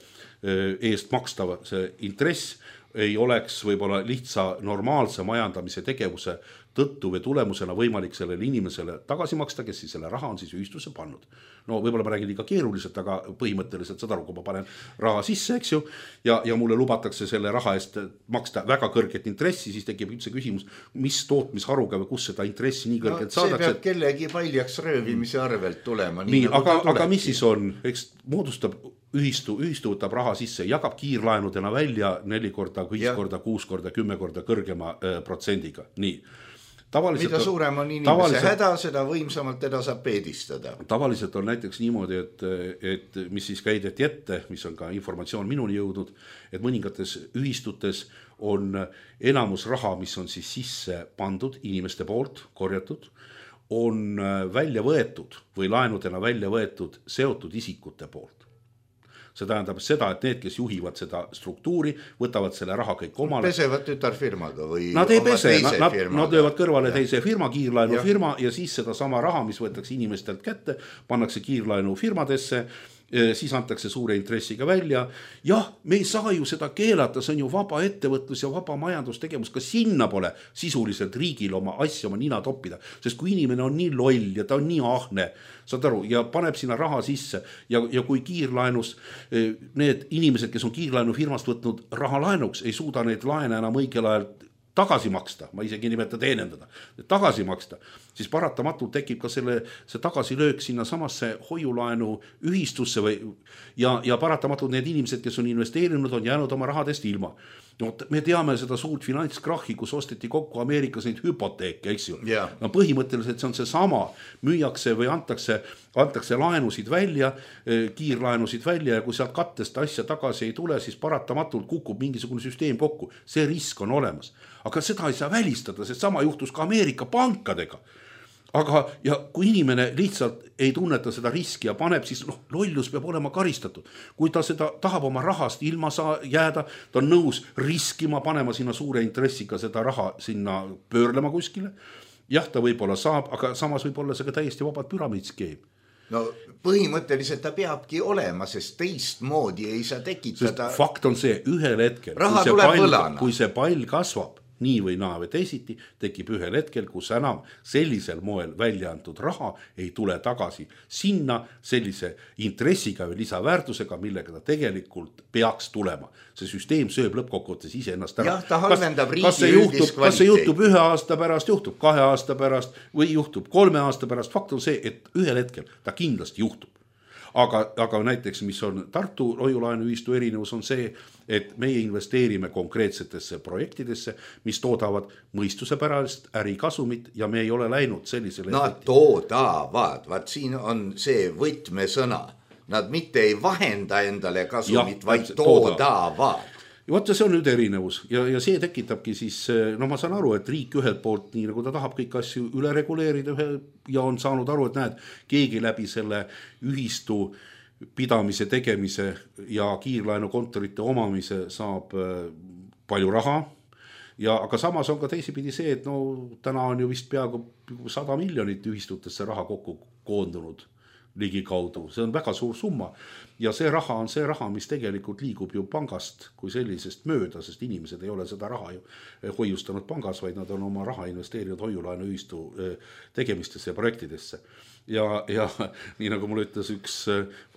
eest makstava see intress ei oleks võib-olla lihtsa normaalse majandamise tegevuse tõttu või tulemusena võimalik sellele inimesele tagasi maksta, kes siis selle raha on siis ühistusse pannud. No võib-olla ma räägin liiga keeruliselt, aga põhimõtteliselt seda aru, kui ma panen raha sisse, eks ju, ja, ja mulle lubatakse selle raha eest maksta väga kõrget intressi, siis tekib üldse küsimus, mis tootmisharuga või kus seda intressi nii kõrget no, saadakse. See peab kellegi paljaks röövimise arvelt tulema. Nii, nii aga, aga mis siis on, eks moodustab ühistu, ühistu võtab raha sisse, jagab kiirlaenudena välja neli korda, viis korda, kuus korda, kümme korda kõrgema äh, protsendiga. Nii. mida suurem on inimese häda, seda võimsamalt teda saab peedistada. Tavaliselt on näiteks niimoodi, et, et mis siis käideti ette, mis on ka informatsioon minuni jõudnud, et mõningates ühistutes on enamus raha, mis on siis sisse pandud inimeste poolt, korjatud, on välja võetud või laenudena välja võetud seotud isikute poolt. See tähendab seda, et need, kes juhivad seda struktuuri, võtavad selle raha kõik omale. Pesevad tütarfirmaga või nad ei pese, nad, nad löövad kõrvale ja. teise firma, kiirlaenu ja. firma ja siis seda sama raha, mis võetakse inimestelt kätte, pannakse kiirlaenu firmadesse, siis antakse suure intressiga välja. Jah, me ei saa ju seda keelata, see on ju vaba ettevõtlus ja vaba majandustegevus, ka sinna pole sisuliselt riigil oma asja, oma nina toppida, sest kui inimene on nii loll ja ta on nii ahne, saad aru, ja paneb sinna raha sisse ja, ja kui kiirlaenus need inimesed, kes on kiirlaenu firmast võtnud raha laenuks, ei suuda neid laene enam õigel ajal tagasi maksta, ma isegi nimeta teenendada, tagasi maksta, siis paratamatult tekib ka selle, see tagasilöök sinna samasse hoiulaenu ühistusse või, ja, ja paratamatult need inimesed, kes on investeerinud, on jäänud oma rahadest ilma. No, me teame seda suurt finantskrahhi, kus osteti kokku Ameerikas neid hüpoteeke, eks ju. Yeah. No, põhimõtteliselt see on see sama, müüakse või antakse, antakse laenusid välja, kiirlaenusid välja ja kui sealt kattest asja tagasi ei tule, siis paratamatult kukub mingisugune süsteem kokku. See risk on olemas. Aga seda ei saa välistada, sest sama juhtus ka Ameerika pankadega. Aga ja kui inimene lihtsalt ei tunneta seda riski ja paneb, siis noh, lollus peab olema karistatud. Kui ta seda tahab oma rahast ilma saa jääda, ta on nõus riskima, panema sinna suure intressiga seda raha sinna pöörlema kuskile. Jah, ta võib-olla saab, aga samas võib-olla see ka täiesti vabad püramiidskeem. No põhimõtteliselt ta peabki olema, sest teist moodi ei saa tekitada. Sest fakt on see, ühel hetkel, raha kui see, tuleb pall, võlana. kui see pall kasvab, nii või naa või teisiti, tekib ühel hetkel, kus enam sellisel moel välja antud raha ei tule tagasi sinna sellise intressiga või lisaväärtusega, millega ta tegelikult peaks tulema. See süsteem sööb lõppkokkuvõttes ise ennast ära. Jah, ta halvendab riigi kas see juhtub, kas see juhtub ühe aasta pärast, juhtub kahe aasta pärast või juhtub kolme aasta pärast. Fakt on see, et ühel hetkel ta kindlasti juhtub. Aga, aga näiteks, mis on Tartu hoiulaenuühistu erinevus on see, et meie investeerime konkreetsetesse projektidesse, mis toodavad mõistuse pärast ärikasumit ja me ei ole läinud sellisele... Nad toodavad, vaat siin on see võtmesõna. Nad mitte ei vahenda endale kasumit, ja, vaid toodavad. Ja võtta, see on nüüd erinevus ja, ja see tekitabki siis, no ma saan aru, et riik ühelt poolt, nii nagu ta tahab kõik asju üle reguleerida ühe, ja on saanud aru, et näed, keegi läbi selle ühistu pidamise, tegemise ja kiirlaenukontorite omamise saab palju raha. Ja, aga samas on ka teisipidi see, et no täna on ju vist peaaegu sada miljonit ühistutesse raha kokku koondunud ligi kaudu. See on väga suur summa ja see raha on see raha, mis tegelikult liigub ju pangast kui sellisest mööda, sest inimesed ei ole seda raha ju hoiustanud pangas, vaid nad on oma raha investeerinud hoiulaenu ühistu tegemistesse ja projektidesse. Ja, ja nii nagu mul ütles üks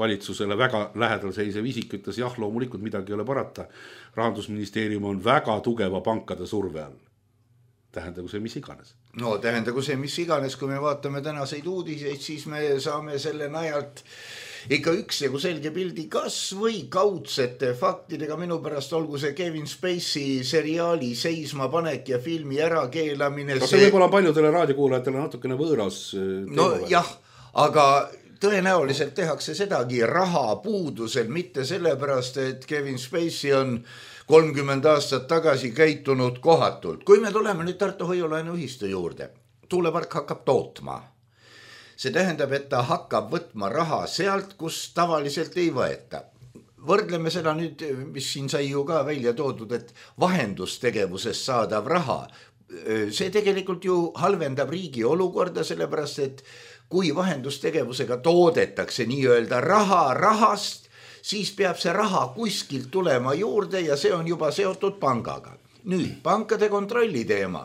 valitsusele väga lähedal seisev isik, ütles jah, loomulikult midagi ei ole parata. Rahandusministeerium on väga tugeva pankade surve all. Tähendagu see mis iganes. No tähendagu see mis iganes, kui me vaatame tänaseid uudiseid, siis me saame selle najalt ikka üks ja kui selge pildi kas või kaudsete faktidega. Minu pärast olgu see Kevin Spacey seriaali seisma panek ja filmi ärakeelamine. See, see võib-olla paljudele raadiokuulajatele natukene võõras. No jah, aga tõenäoliselt tehakse sedagi raha puudusel, mitte sellepärast, et Kevin Spacey on kolmkümmend aastat tagasi käitunud kohatult. Kui me tuleme nüüd Tartu hoiulaenuühistu juurde, tuulepark hakkab tootma. See tähendab, et ta hakkab võtma raha sealt, kus tavaliselt ei võeta. Võrdleme seda nüüd, mis siin sai ju ka välja toodud, et vahendustegevusest saadav raha. See tegelikult ju halvendab riigi olukorda, sellepärast, et kui vahendustegevusega toodetakse nii-öelda raha rahast, siis peab see raha kuskilt tulema juurde ja see on juba seotud pangaga. Nüüd, pankade kontrolli teema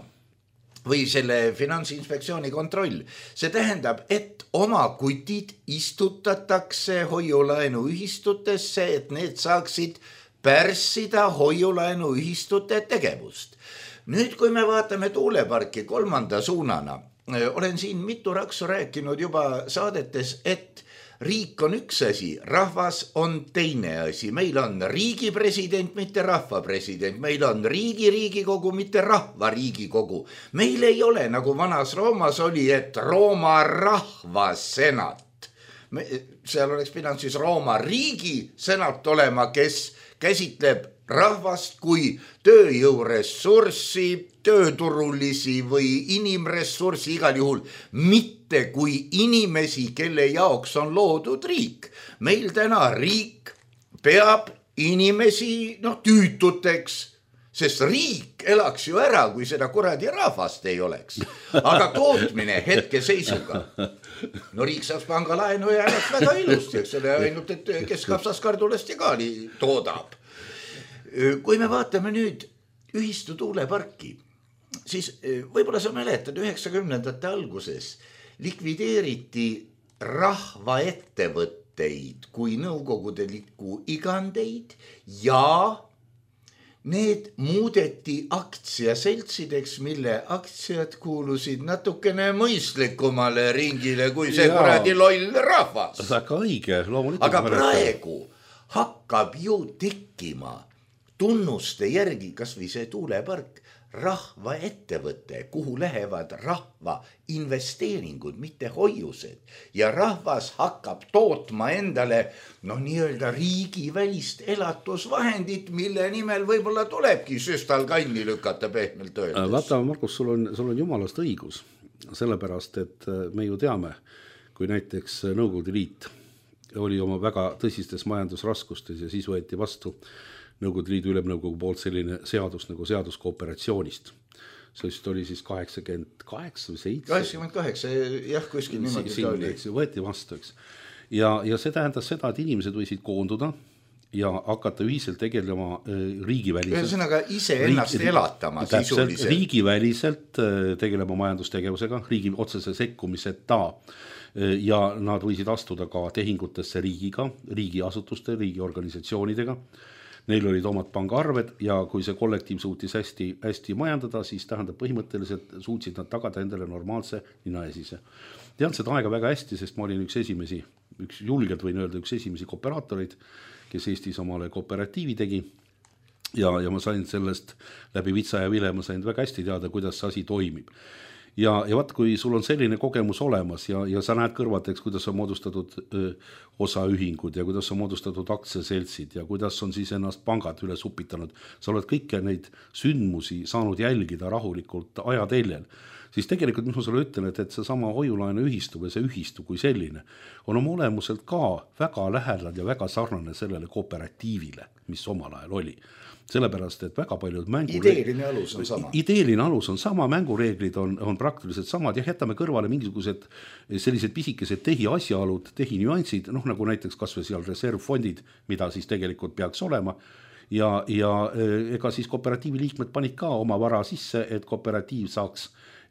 või selle finantsinspektsiooni kontroll. See tähendab, et oma kutid istutatakse hoiulaenuühistutesse, et need saaksid pärssida hoiulaenuühistute tegevust. Nüüd, kui me vaatame tuuleparki kolmanda suunana, olen siin mitu raksu rääkinud juba saadetes, et riik on üks asi, rahvas on teine asi. Meil on riigi president, mitte rahva president. Meil on riigi riigikogu, mitte rahva riigikogu. Meil ei ole, nagu vanas Roomas oli, et Rooma rahva senat. Me, seal oleks pidanud siis Rooma riigi senat olema, kes käsitleb rahvast kui tööjõuressurssi, tööturulisi või inimressurssi, igal juhul mitte kui inimesi, kelle jaoks on loodud riik. Meil täna riik peab inimesi no, tüütuteks, sest riik elaks ju ära, kui seda kuradi rahvast ei oleks. Aga tootmine hetke seisuga. No riik saaks pangalaenu ja elaks väga ilusti, eks ole, ainult, et kes kapsas kardulest ja kaali toodab. Kui me vaatame nüüd ühistu tuuleparki, siis võib-olla sa mäletad üheksakümnendate alguses likvideeriti rahvaettevõtteid kui nõukogudeliku igandeid ja need muudeti aktsiaseltsideks, mille aktsiad kuulusid natukene mõistlikumale ringile kui see kuradi loll rahvas. Väga õige, loomulikult. Aga praegu hakkab ju tekkima tunnuste järgi, kas või see tuulepark, rahva ettevõte, kuhu lähevad rahva investeeringud, mitte hoiused. Ja rahvas hakkab tootma endale no, nii-öelda riigivälist elatusvahendit, mille nimel võib-olla tulebki süstal kanni lükata pehmelt öeldes. Vaata, Markus, sul on, sul on jumalast õigus, sellepärast, et me ju teame, kui näiteks Nõukogude Liit oli oma väga tõsistes majandusraskustes ja siis võeti vastu Nõukogude Liidu ülemnõukogu poolt selline seadus nagu seadus kooperatsioonist. See oli siis kaheksakümmend kaheksa või seitse. kaheksakümmend kaheksa, jah, kuskil niimoodi siin, oli. Võeti vastu, eks. Ja, ja see tähendas seda, et inimesed võisid koonduda ja hakata ühiselt tegelema riigiväliselt. Ühesõnaga ise ennast riigi, elatama sisuliselt. Riigiväliselt tegelema majandustegevusega, riigi otsese sekkumiseta. Ja nad võisid astuda ka tehingutesse riigiga, riigiasutuste, riigiorganisatsioonidega. Neil olid omad pangaarved ja kui see kollektiiv suutis hästi, hästi majandada, siis tähendab põhimõtteliselt suutsid nad tagada endale normaalse ninaesise. Tean seda aega väga hästi, sest ma olin üks esimesi, üks julgelt võin öelda, üks esimesi kooperaatoreid, kes Eestis omale kooperatiivi tegi. Ja, ja ma sain sellest läbi Vitsa ja Vile, ma sain väga hästi teada, kuidas see asi toimib. Ja, ja vaat, kui sul on selline kogemus olemas ja, ja sa näed kõrvateks, kuidas on moodustatud öö, osaühingud ja kuidas on moodustatud aktsiaseltsid ja kuidas on siis ennast pangad üle supitanud, sa oled kõike neid sündmusi saanud jälgida rahulikult ajateljel, siis tegelikult mis ma sulle ütlen, et, et see sama hoiulaenu ühistu või see ühistu kui selline on oma olemuselt ka väga lähedal ja väga sarnane sellele kooperatiivile, mis omal ajal oli. Sellepärast, et väga paljud mängureeglid... Ideeline alus on sama. Ideeline alus on sama, mängureeglid on, on praktiliselt samad ja jätame kõrvale mingisugused sellised pisikesed tehi asjaolud, tehi nüansid, noh nagu näiteks kas või seal reservfondid, mida siis tegelikult peaks olema ja, ja ega siis kooperatiivi liikmed panid ka oma vara sisse, et kooperatiiv saaks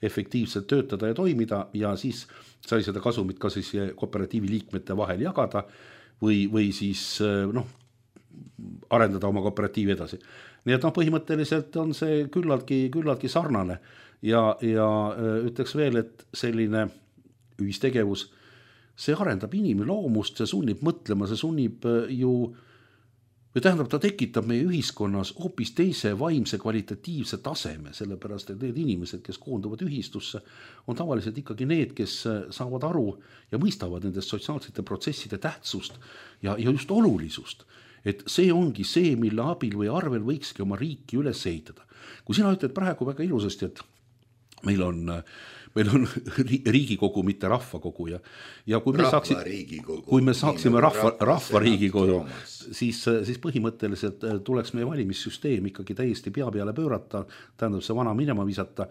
efektiivselt töötada ja toimida ja siis sai seda kasumit ka siis kooperatiivi liikmete vahel jagada või, või siis noh, arendada oma kooperatiivi edasi. Nii et noh, põhimõtteliselt on see küllaltki, küllaltki sarnane ja, ja ütleks veel, et selline ühistegevus, see arendab inimloomust, see sunnib mõtlema, see sunnib ju, või tähendab, ta tekitab meie ühiskonnas hoopis teise vaimse kvalitatiivse taseme, sellepärast, et need inimesed, kes koonduvad ühistusse, on tavaliselt ikkagi need, kes saavad aru ja mõistavad nendest sotsiaalsete protsesside tähtsust ja, ja just olulisust. Et see ongi see, mille abil või arvel võikski oma riiki üles ehitada. Kui sina ütled praegu väga ilusasti, et meil on, meil on riigikogu, mitte rahvakogu ja, ja kui, me saaks, kui me saaksime rahva, rahva riigikogu, siis, siis põhimõtteliselt tuleks meie valimissüsteem ikkagi täiesti pea peale pöörata, tähendab see vana minema visata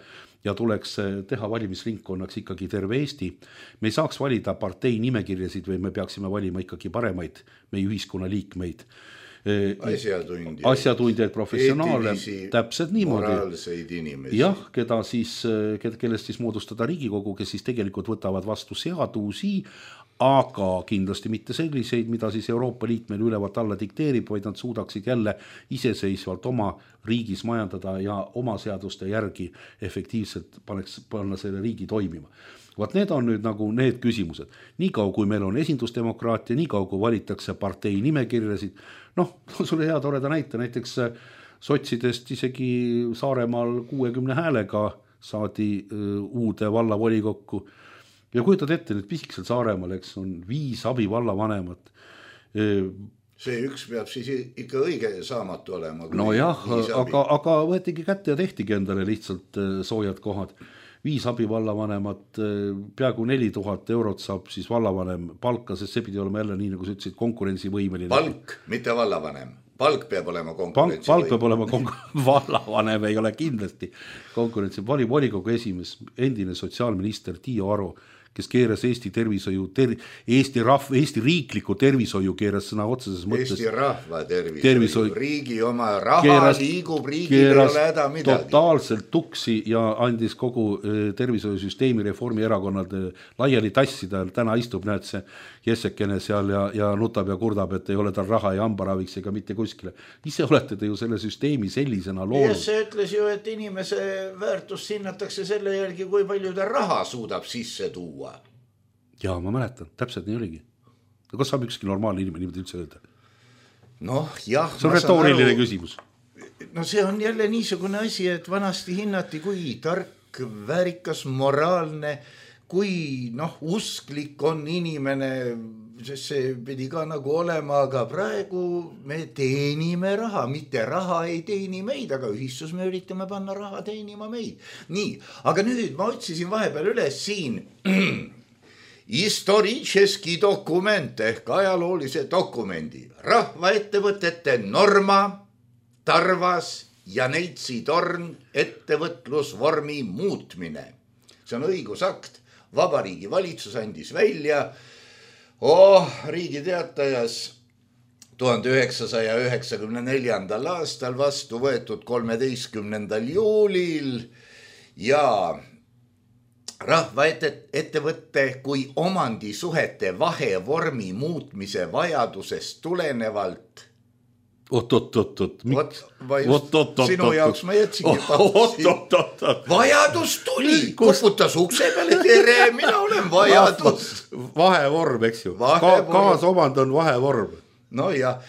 ja tuleks teha valimisringkonnaks ikkagi terve Eesti. Me ei saaks valida partei nimekirjasid või me peaksime valima ikkagi paremaid meie ühiskonna liikmeid. Asjatundjaid, asjatundjaid, professionaale, täpselt niimoodi. Moraalseid inimesi. Jah, keda siis, kellest siis moodustada riigikogu, kes siis tegelikult võtavad vastu seadusi, aga kindlasti mitte selliseid, mida siis Euroopa Liit meil ülevalt alla dikteerib, vaid nad suudaksid jälle iseseisvalt oma riigis majandada ja oma seaduste järgi efektiivselt paneks, panna selle riigi toimima. Vaat need on nüüd nagu need küsimused. Nii kaua, kui meil on esindusdemokraatia, nii kaua, kui valitakse partei nimekirjasid, noh, sulle hea toreda näite, näiteks sotsidest isegi Saaremaal kuuekümne häälega saadi uude vallavolikokku. Ja kujutad ette, nüüd pisikesel Saaremaal, eks, on viis abivallavanemat. See üks peab siis ikka õige saamatu olema. No jah, aga, aga võetigi kätte ja tehtigi endale lihtsalt soojad kohad. Viis abivallavanemat, peaaegu neli tuhat eurot saab siis vallavanem palka, sest see pidi olema jälle nii, nagu sa ütlesid, konkurentsivõimeline. Palk, mitte vallavanem. Palk peab olema konkurentsi. Palk peab olema konkurentsi. Vallavanem ei ole kindlasti konkurentsi. Vali volikogu esimees, endine sotsiaalminister Tiio Aro, kes keeras Eesti tervishoiu, ter, Eesti, rahv, Eesti riikliku tervishoiu keeras sõna otseses mõttes. Eesti rahva tervishoiu, tervishoiu. Riigi oma raha keeras, liigub, riigil ei ole häda midagi. Totaalselt tuksi ja andis kogu tervishoiusüsteemi Reformierakonnad laiali tassida. Täna istub näed see Jessekene seal ja, ja nutab ja kurdab, et ei ole tal raha ja hambaraviks ega mitte kuskile. Ise olete te ju selle süsteemi sellisena loonud. Ja see ütles ju, et inimese väärtust hinnatakse selle järgi, kui palju ta raha suudab sisse tuua. Jaa, ma mäletan, täpselt nii oligi. Kas saab ükski normaalne inimene niimoodi üldse öelda? Noh, jah. See on retooriline aru... küsimus. No see on jälle niisugune asi, et vanasti hinnati, kui tark, väärikas, moraalne, kui noh, usklik on inimene, sest see pidi ka nagu olema, aga praegu me teenime raha, mitte raha ei teeni meid, aga ühistus me üritame panna raha teenima meid. Nii, aga nüüd ma otsisin vahepeal üles siin historitšeski dokument ehk ajaloolise dokumendi. Rahvaettevõtete Norma, Tarvas ja Neitsi torn ettevõtlusvormi muutmine. See on õigusakt. Vabariigi valitsus andis välja oh, Riigi Teatajas tuhande üheksasaja üheksakümne neljandal aastal vastu võetud kolmeteistkümnendal juulil ja rahvaettevõtte kui omandisuhete vahevormi muutmise vajadusest tulenevalt. Oot, oot, oot, oot. Oot, oot, sinu jaoks ma jätsingi pausi. Vajadus tuli, koputas ukse peale, tere, mina olen vajadus. Vahevorm, eks ju. Ka, kaasomand on vahevorm. No ja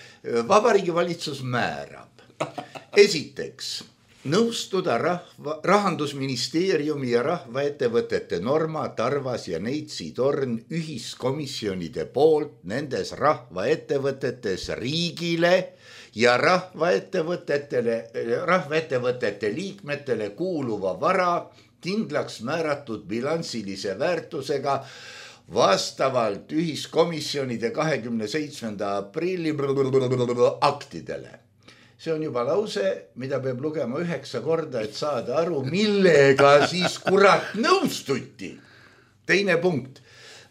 Vabariigi valitsus määrab. Esiteks, nõustuda rahva, Rahandusministeeriumi ja rahvaettevõtete Norma, Tarvas ja Neitsi torn ühiskomisjonide poolt nendes rahvaettevõtetes riigile ja rahvaettevõtetele, rahvaettevõtete liikmetele kuuluva vara kindlaks määratud bilansilise väärtusega vastavalt ühiskomisjonide kahekümne seitsmenda aprilli aktidele. See on juba lause, mida peab lugema üheksa korda, et saada aru, millega siis kurat nõustuti. Teine punkt.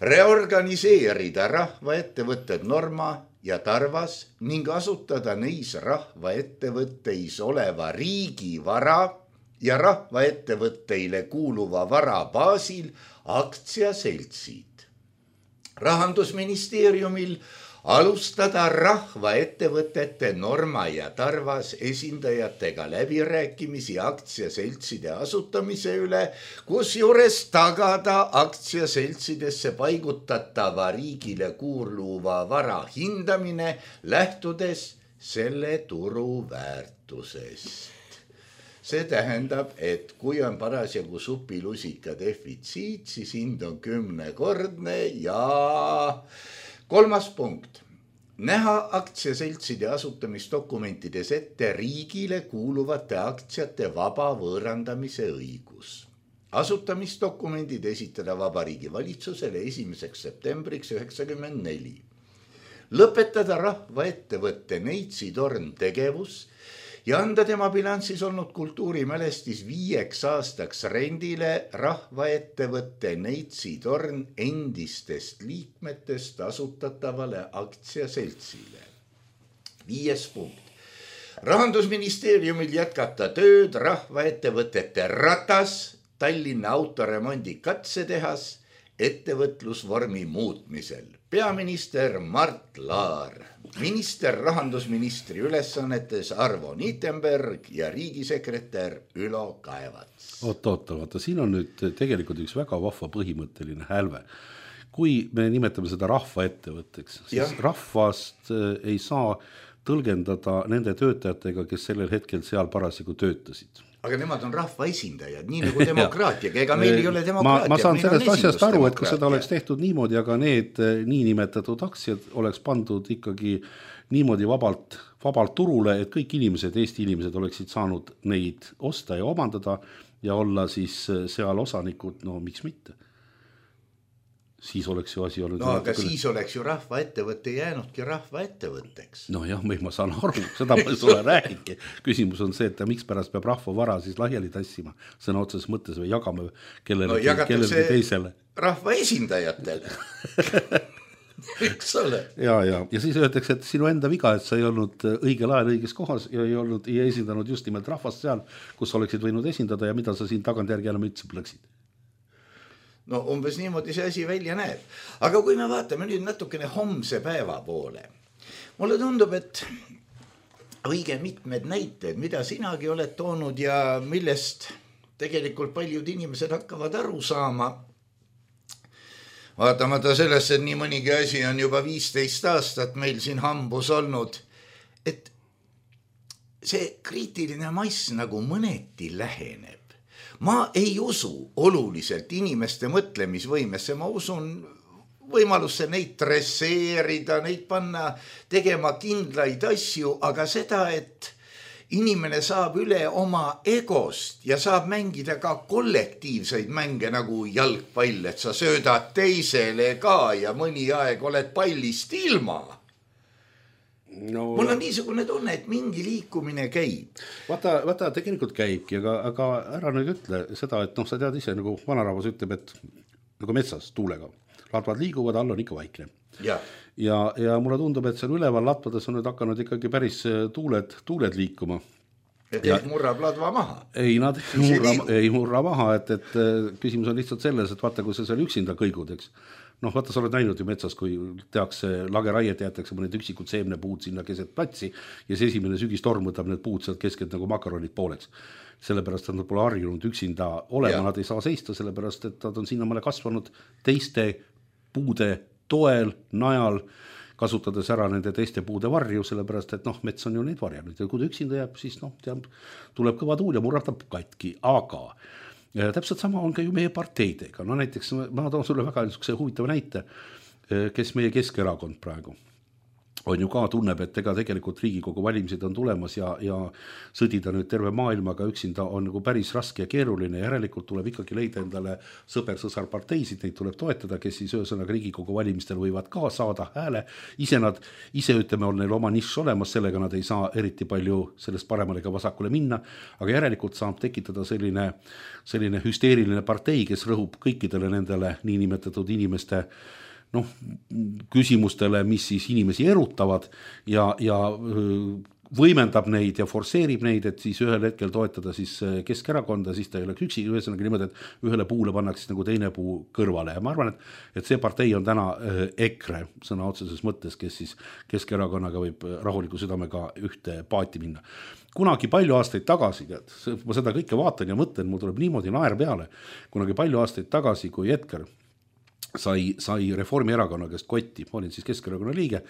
Reorganiseerida rahvaettevõtted Norma ja Tarvas ning asutada neis rahvaettevõtteis oleva riigivara ja rahvaettevõtteile kuuluva vara baasil aktsiaseltsid. Rahandusministeeriumil alustada rahvaettevõtete Norma ja Tarvas esindajatega läbirääkimisi aktsiaseltside asutamise üle, kus juures tagada aktsiaseltsidesse paigutatava riigile kuuluva vara hindamine, lähtudes selle turu väärtusest. See tähendab, et kui on parasjagu supilusika defitsiit, siis hind on kümnekordne ja kolmas punkt. Näha aktsiaseltside asutamisdokumentides ette riigile kuuluvate aktsiate vaba võõrandamise õigus. Asutamisdokumendid esitada Vabariigi valitsusele esimeseks septembriks üheksakümmend neli. Lõpetada rahvaettevõtte Neitsi torn tegevus ja anda tema bilansis olnud kultuurimälestis viieks aastaks rendile rahvaettevõtte Neitsi torn endistest liikmetest asutatavale aktsiaseltsile. Viies punkt. Rahandusministeeriumil jätkata tööd rahvaettevõtete Ratas, Tallinna autoremondi katsetehas, ettevõtlusvormi muutmisel. Peaminister Mart Laar, minister rahandusministri ülesannetes Arvo Niitenberg ja riigisekretär Ülo Kaevats. Oota, oota, oota, siin on nüüd tegelikult üks väga vahva põhimõtteline hälve. Kui me nimetame seda rahva ettevõtteks, siis ja. rahvast ei saa tõlgendada nende töötajatega, kes sellel hetkel seal parasjagu töötasid. Aga nemad on rahva esindajad, nii nagu demokraatiaga, ega meil ei ole demokraatia. Ma, ma saan sellest asjast aru, et kui seda oleks tehtud niimoodi, aga need niinimetatud aktsiad oleks pandud ikkagi niimoodi vabalt, vabalt turule, et kõik inimesed, Eesti inimesed oleksid saanud neid osta ja omandada ja olla siis seal osanikud, no miks mitte? Siis oleks ju asi olnud... No aga küll... siis oleks ju rahva ettevõtte jäänudki rahva ettevõtteks. No jah, ma saan aru, seda ma sulle räägingi. Küsimus on see, et miks pärast peab rahva vara siis lahjali tassima, sõna otseses mõttes või jagame kellele, no, kellele teisele. Rahva esindajatele. Eks ole. Ja, ja. ja siis öeldakse, et sinu enda viga, et sa ei olnud õigel ajal õiges kohas ja ei, olnud, ei esindanud just nimelt rahvast seal, kus oleksid võinud esindada ja mida sa siin tagantjärgi enam üldse plõksid. No umbes niimoodi see asi välja näeb. Aga kui me vaatame nüüd natukene homse päeva poole, mulle tundub, et õige mitmed näited, mida sinagi oled toonud ja millest tegelikult paljud inimesed hakkavad aru saama, vaatamata sellest, et nii mõnigi asi on juba viisteist aastat meil siin hambus olnud, et see kriitiline mass nagu mõneti läheneb. Ma ei usu oluliselt inimeste mõtlemisvõimesse, ma usun võimalusse neid dresseerida, neid panna tegema kindlaid asju, aga seda, et inimene saab üle oma egost ja saab mängida ka kollektiivseid mänge nagu jalgpall, et sa söödad teisele ka ja mõni aeg oled pallist ilma. No, mul on niisugune tunne, et mingi liikumine käib. Vaata, vaata tegelikult käibki, aga, aga ära nüüd ütle seda, et noh, sa tead ise, nagu vanarahvas ütleb, et nagu metsas tuulega. Latvad liiguvad, all on ikka vaikne. Ja. Ja, ja mulle tundub, et seal üleval latvades on nüüd hakanud ikkagi päris tuuled, tuuled liikuma. Et ja, ei murrab ladva maha. Ei, nad ei murra, ei murra maha, et, et küsimus on lihtsalt selles, et vaata, kui sa seal üksinda kõigud, eks. Noh, vaata, sa oled näinud ju metsas, kui tehakse lageraiet, jäetakse mõned üksikud seemnepuud sinna keset platsi ja see esimene sügistorm võtab need puud sealt keskelt nagu makaronid pooleks. Sellepärast, et nad pole harjunud üksinda olema, ja. Nad ei saa seista, sellepärast, et nad on sinnamale kasvanud teiste puude toel, najal, kasutades ära nende teiste puude varju, sellepärast, et noh, mets on ju neid varjanud ja kui ta üksinda jääb, siis noh, teab, tuleb kõva tuul ja murrab ta katki, aga ja täpselt sama on ka ju meie parteidega. No näiteks ma toon sulle väga huvitava näite, kes meie Keskerakond praegu on ju ka tunneb, et ega tegelikult Riigikogu valimised on tulemas ja, ja sõdida nüüd terve maailmaga üksinda on nagu päris raske ja keeruline. Järelikult tuleb ikkagi leida endale sõber-sõsar parteisid, neid tuleb toetada, kes siis ühesõnaga Riigikogu valimistel võivad ka saada hääle. Ise nad, ise ütleme, on neil oma nišš olemas, sellega nad ei saa eriti palju sellest paremale ega vasakule minna, aga järelikult saab tekitada selline, selline hüsteeriline partei, kes rõhub kõikidele nendele niinimetatud inimeste noh, küsimustele, mis siis inimesi erutavad ja, ja võimendab neid ja forseerib neid, et siis ühel hetkel toetada siis Keskerakonda, siis ta ei oleks üksi, ühesõnaga niimoodi, et ühele puule pannakse nagu teine puu kõrvale ja ma arvan, et, et see partei on täna EKRE sõna otseses mõttes, kes siis Keskerakonnaga võib rahuliku südamega ühte paati minna. Kunagi palju aastaid tagasi, tead, ma seda kõike vaatan ja mõtlen, mul tuleb niimoodi naer peale, kunagi palju aastaid tagasi, kui Edgar sai, sai Reformierakonna käest kotti, ma olin siis Keskerakonna liige,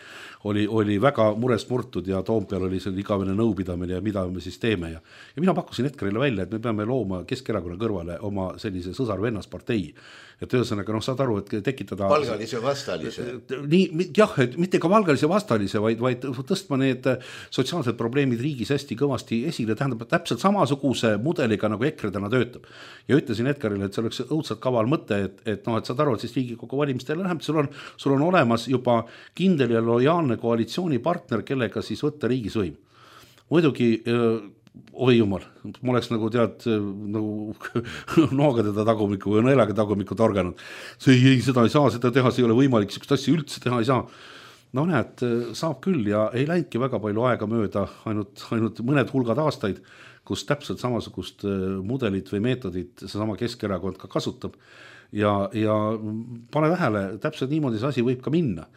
oli, oli väga murest murtud ja Toompeal oli seal igavene nõupidamine ja mida me siis teeme ja, ja mina pakkusin Edgarile välja, et me peame looma Keskerakonna kõrvale oma sellise sõsar-vennaspartei. Et ühesõnaga, noh, saad aru, et tekitada valgalise vastalise. Nii, jah, et mitte ka valgalise vastalise, vaid, vaid tõstma need sotsiaalsed probleemid riigis hästi kõvasti esile, tähendab täpselt samasuguse mudeliga, nagu EKRE täna töötab. Ja ütlesin Edgarile, et see oleks õudselt kaval mõte, et, et, noh, et saad aru, et siis Riigikogu valimistele läheb, sul on, sul on olemas juba kindel ja lojaalne koalitsioonipartner, kellega siis võtta riigis võim. Muidugi oi jumal, ma oleks nagu tead nagu nooga teda tagumiku või nõelaga tagumiku torganud. See ei, ei, seda ei saa, seda teha, see ei ole võimalik, sellist asja üldse teha ei saa. No näed, saab küll ja ei läinudki väga palju aega mööda, ainult, ainult mõned hulgad aastaid, kus täpselt samasugust mudelit või meetodit see sama Keskerakond ka kasutab. ja, ja pane tähele, täpselt niimoodi see asi võib ka minna.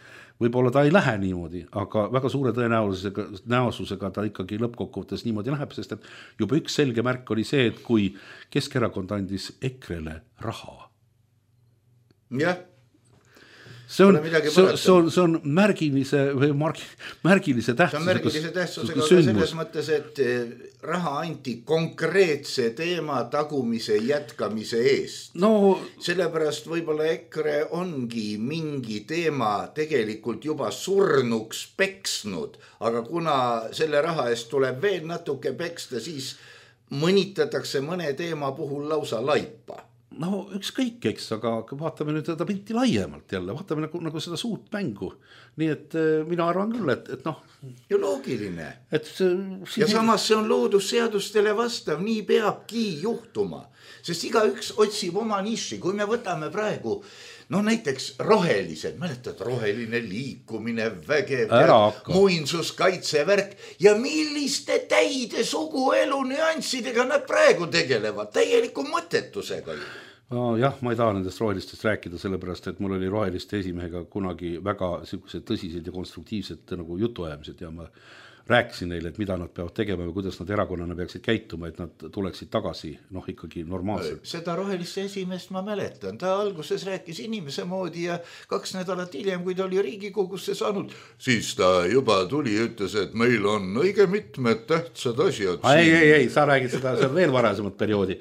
Võib-olla ta ei lähe niimoodi, aga väga suure tõenäosusega, näosusega ta ikkagi lõppkokkuvõttes niimoodi läheb, sest et juba üks selge märk oli see, et kui Keskerakond andis Ekrele raha. Jah. See on, see, see, on, see on märgilise, või margi, märgilise tähtsusega. See on märgilise tähtsusega ka selles mõttes, et raha anti konkreetse teema tagumise jätkamise eest. No, sellepärast võib-olla Ekre ongi mingi teema tegelikult juba surnuks peksnud, aga kuna selle raha eest tuleb veel natuke peksta, siis mõnitatakse mõne teema puhul lausa laipa. No ükskõik, eks, aga vaatame nüüd seda pilti laiemalt jälle, vaatame nagu, nagu seda suurt mängu. Nii et mina arvan küll, et, et noh. Ja loogiline. Et see, ja samas see on loodusseadustele vastav, nii peabki juhtuma. Sest iga üks otsib oma niši, kui me võtame praegu, no näiteks rohelised, mäletad, roheline liikumine, vägev, muinsuskaitsevärk ja milliste täide suguelu nüanssidega nad praegu tegelevad, täieliku mõttetusega ju. No, jah, ma ei taha nendest rohelistest rääkida, sellepärast, et mul oli roheliste esimehega kunagi väga tõsised ja konstruktiivsed nagu jutuajamised ja ma rääkisin neile, et mida nad peavad tegema ja kuidas nad erakonnana peaksid käituma, et nad tuleksid tagasi, noh ikkagi normaalselt. Seda roheliste esimest ma mäletan, ta alguses rääkis inimese moodi ja kaks nädalat hiljem, kui ta oli Riigikogusse saanud, siis ta juba tuli ja ütles, et meil on õige mitmed tähtsad asjad. Ei, ei, ei, sa räägid seda, see on veel varasemat perioodi.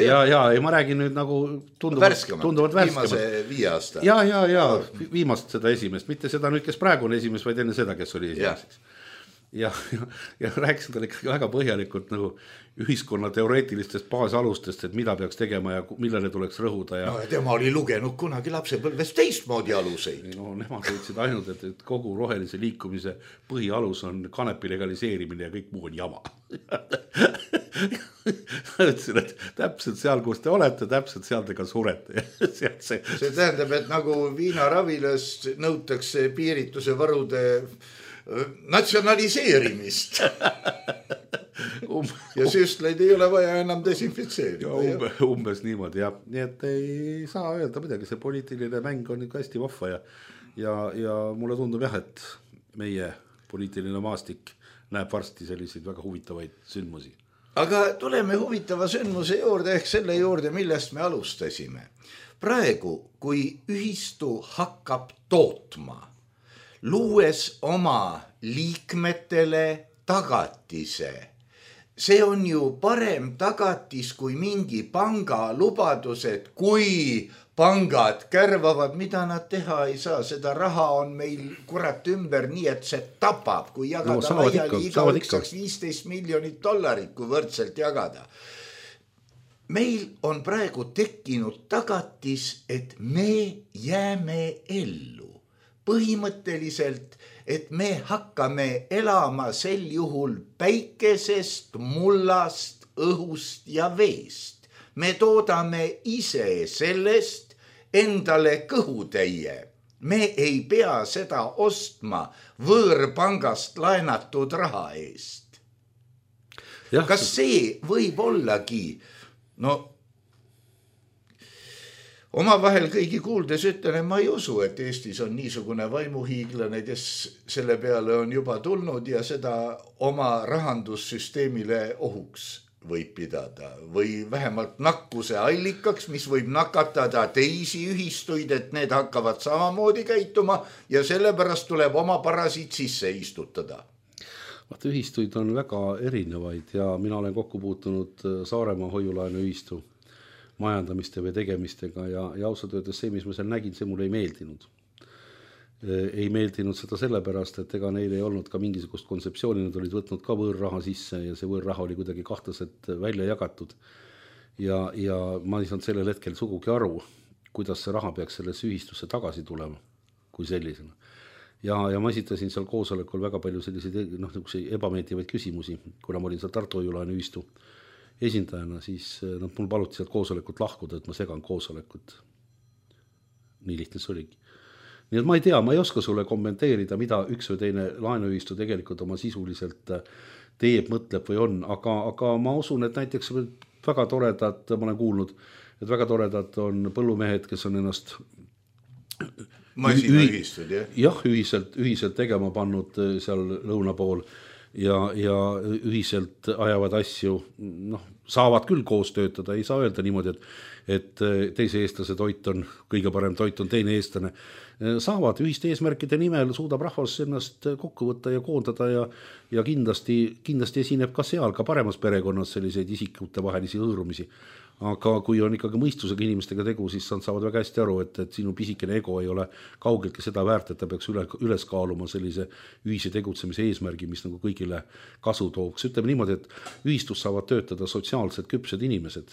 Ja, ja, ja ma räägin nüüd nagu tunduvalt värskemat, tunduvalt värskemat. Viimase viie aasta. Ja, ja, ja, viimast seda esimest, mitte seda nüüd, kes praegu on esimest, vaid enne seda, kes oli esimeseks. Ja, ja, ja rääkisin talle ikkagi väga põhjalikult nagu ühiskonna teoreetilistest baasalustest, et mida peaks tegema ja millele tuleks rõhuda. Ja... No, tema oli lugenud kunagi lapsepõlves teistmoodi aluseid. No, nemad ütlesid ainult, et, et kogu rohelise liikumise põhialus on kanepi legaliseerimine ja kõik muu on jama. Ütlesin, et täpselt seal, kus te olete, täpselt seal te ka surete. See... see tähendab, et nagu viinaravilast nõutakse piirituse varude natsionaliseerimist. Um, ja süstleid ei ole vaja enam desinfitseerida. Umbe, umbes niimoodi, jah. Nii et ei saa öelda midagi, see poliitiline mäng on ikka hästi vahva ja, ja, ja mulle tundub jah, et meie poliitiline maastik näeb varsti selliseid väga huvitavaid sündmusi. Aga tuleme huvitava sündmuse juurde ehk selle juurde, millest me alustasime. Praegu, kui ühistu hakkab tootma, luues oma liikmetele tagatise. See on ju parem tagatis kui mingi panga lubadus, et kui pangad kärvavad, mida nad teha ei saa. Seda raha on meil kurat ümber nii, et see tapab, kui jagada no, laiali iga üks saaks viisteist miljonit dollarit, kui võrdselt jagada. Meil on praegu tekkinud tagatis, et me jääme ellu. Põhimõtteliselt, et me hakkame elama sel juhul päikesest, mullast, õhust ja veest. Me toodame ise sellest endale kõhutäie. Me ei pea seda ostma võõrpangast laenatud raha eest. Ja. Kas see võib ollagi, no oma vahel kõigi kuuldes ütlen, ma ei usu, et Eestis on niisugune vaimuhiiglane, kes selle peale on juba tulnud ja seda oma rahandussüsteemile ohuks võib pidada või vähemalt nakkuse allikaks, mis võib nakatada teisi ühistuid, et need hakkavad samamoodi käituma ja sellepärast tuleb oma parasiit sisse istutada. Vaata, ühistuid on väga erinevaid ja mina olen kokku puutunud Saaremaa hoiulaenu ühistu majandamiste või tegemistega ja, ja ausalt öeldes see, mis ma seal nägin, see mulle ei meeldinud. Ei meeldinud seda sellepärast, et ega neil ei olnud ka mingisugust kontseptsiooni, nad olid võtnud ka võõrraha sisse ja see võõrraha oli kuidagi kahtlaselt välja jagatud. Ja, ja ma ei saanud sellel hetkel sugugi aru, kuidas see raha peaks selles ühistusse tagasi tulema kui sellisena. Ja, ja ma esitasin seal koosolekul väga palju selliseid noh, ebameeldivaid küsimusi, kuna ma olin seal Tartu hoiulaenu ühistu esindajana, siis nad mul paluti sealt koosolekut lahkuda, et ma segan koosolekut. Nii lihtne see oligi. Nii et ma ei tea, ma ei oska sulle kommenteerida, mida üks või teine laenuühistu tegelikult oma sisuliselt teeb, mõtleb või on, aga, aga ma usun, et näiteks väga toredad, ma olen kuulnud et väga toredad on põllumehed, kes on ennast masinaühistud, jah? jah, ühiselt, ühiselt tegema pannud seal lõuna pool ja, ja ühiselt ajavad asju, noh, saavad küll koos töötada, ei saa öelda niimoodi, et, et teise eestlase toit on, kõige parem toit on teine eestlane. Saavad ühiste eesmärkide nimel, suudab rahvas ennast kokku võtta ja koondada ja, ja kindlasti, kindlasti esineb ka seal, ka paremas perekonnas selliseid isikute vahelisi hõõrumisi. Aga kui on ikkagi mõistusega inimestega tegu, siis nad saavad väga hästi aru, et, et sinu pisikene ego ei ole kaugeltki seda väärt, et ta peaks üle, üles kaaluma sellise ühise tegutsemise eesmärgi, mis nagu kõigile kasu tooks. Ütleme niimoodi, et ühistus saavad töötada sotsiaalselt küpsed inimesed,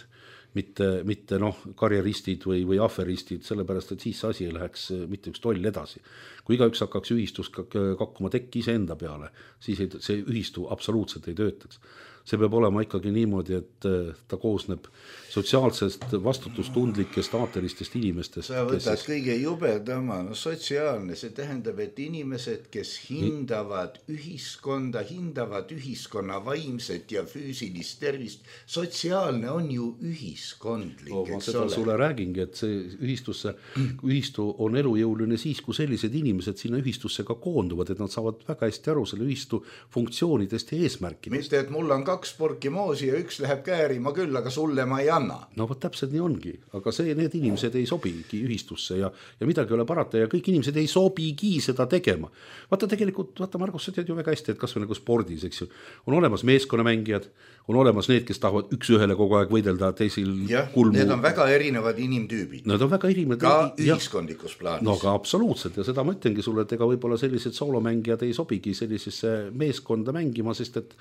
mitte, mitte noh, karjeristid või, või aferistid, sellepärast, et siis see asi ei läheks mitte üks toll edasi. Kui igaüks hakkaks ühistus kakkuma tekki ise enda peale, siis ei, see ühistu absoluutselt ei töötaks. See peab olema ikkagi niimoodi, et ta koosneb sotsiaalsest vastutustundlikest aateristest inimestest. Sa võtad kes... kõige jubedama, no sotsiaalne, see tähendab, et inimesed, kes hindavad ühiskonda, hindavad ühiskonna vaimset ja füüsilist tervist, sotsiaalne on ju ühiskondlik, no, ma eks seda ole. Sulle räägingi, et see ühistusse, ühistu on elujõuline siis, kui sellised inimesed sinna ühistusse ka koonduvad, et nad saavad väga hästi aru selle ühistu funktsioonidest ja eesmärkidest. Mitte, et mul on kaks porki moosi ja üks läheb käärima küll, aga sulle ma ei anna. No võt täpselt nii ongi, aga see, need inimesed ei sobigi ühistusse ja, ja midagi ei ole parata ja kõik inimesed ei sobigi seda tegema. Vaata tegelikult, vaata Margus, sa tead ju väga hästi, et kas või nagu spordis, eks ju, on olemas meeskonnamängijad, on olemas need, kes tahavad üks ühele kogu aeg võidelda teisil jah, kulmu. Need on väga erinevad inimtüübid. Need on väga erinevad. Ka ühiskondikus plaanis. No ka absoluutselt ja seda ma ütlengi sulle, et ega võib-olla sellised soolomängijad ei sobigi sellisesse meeskonda mängima, sest et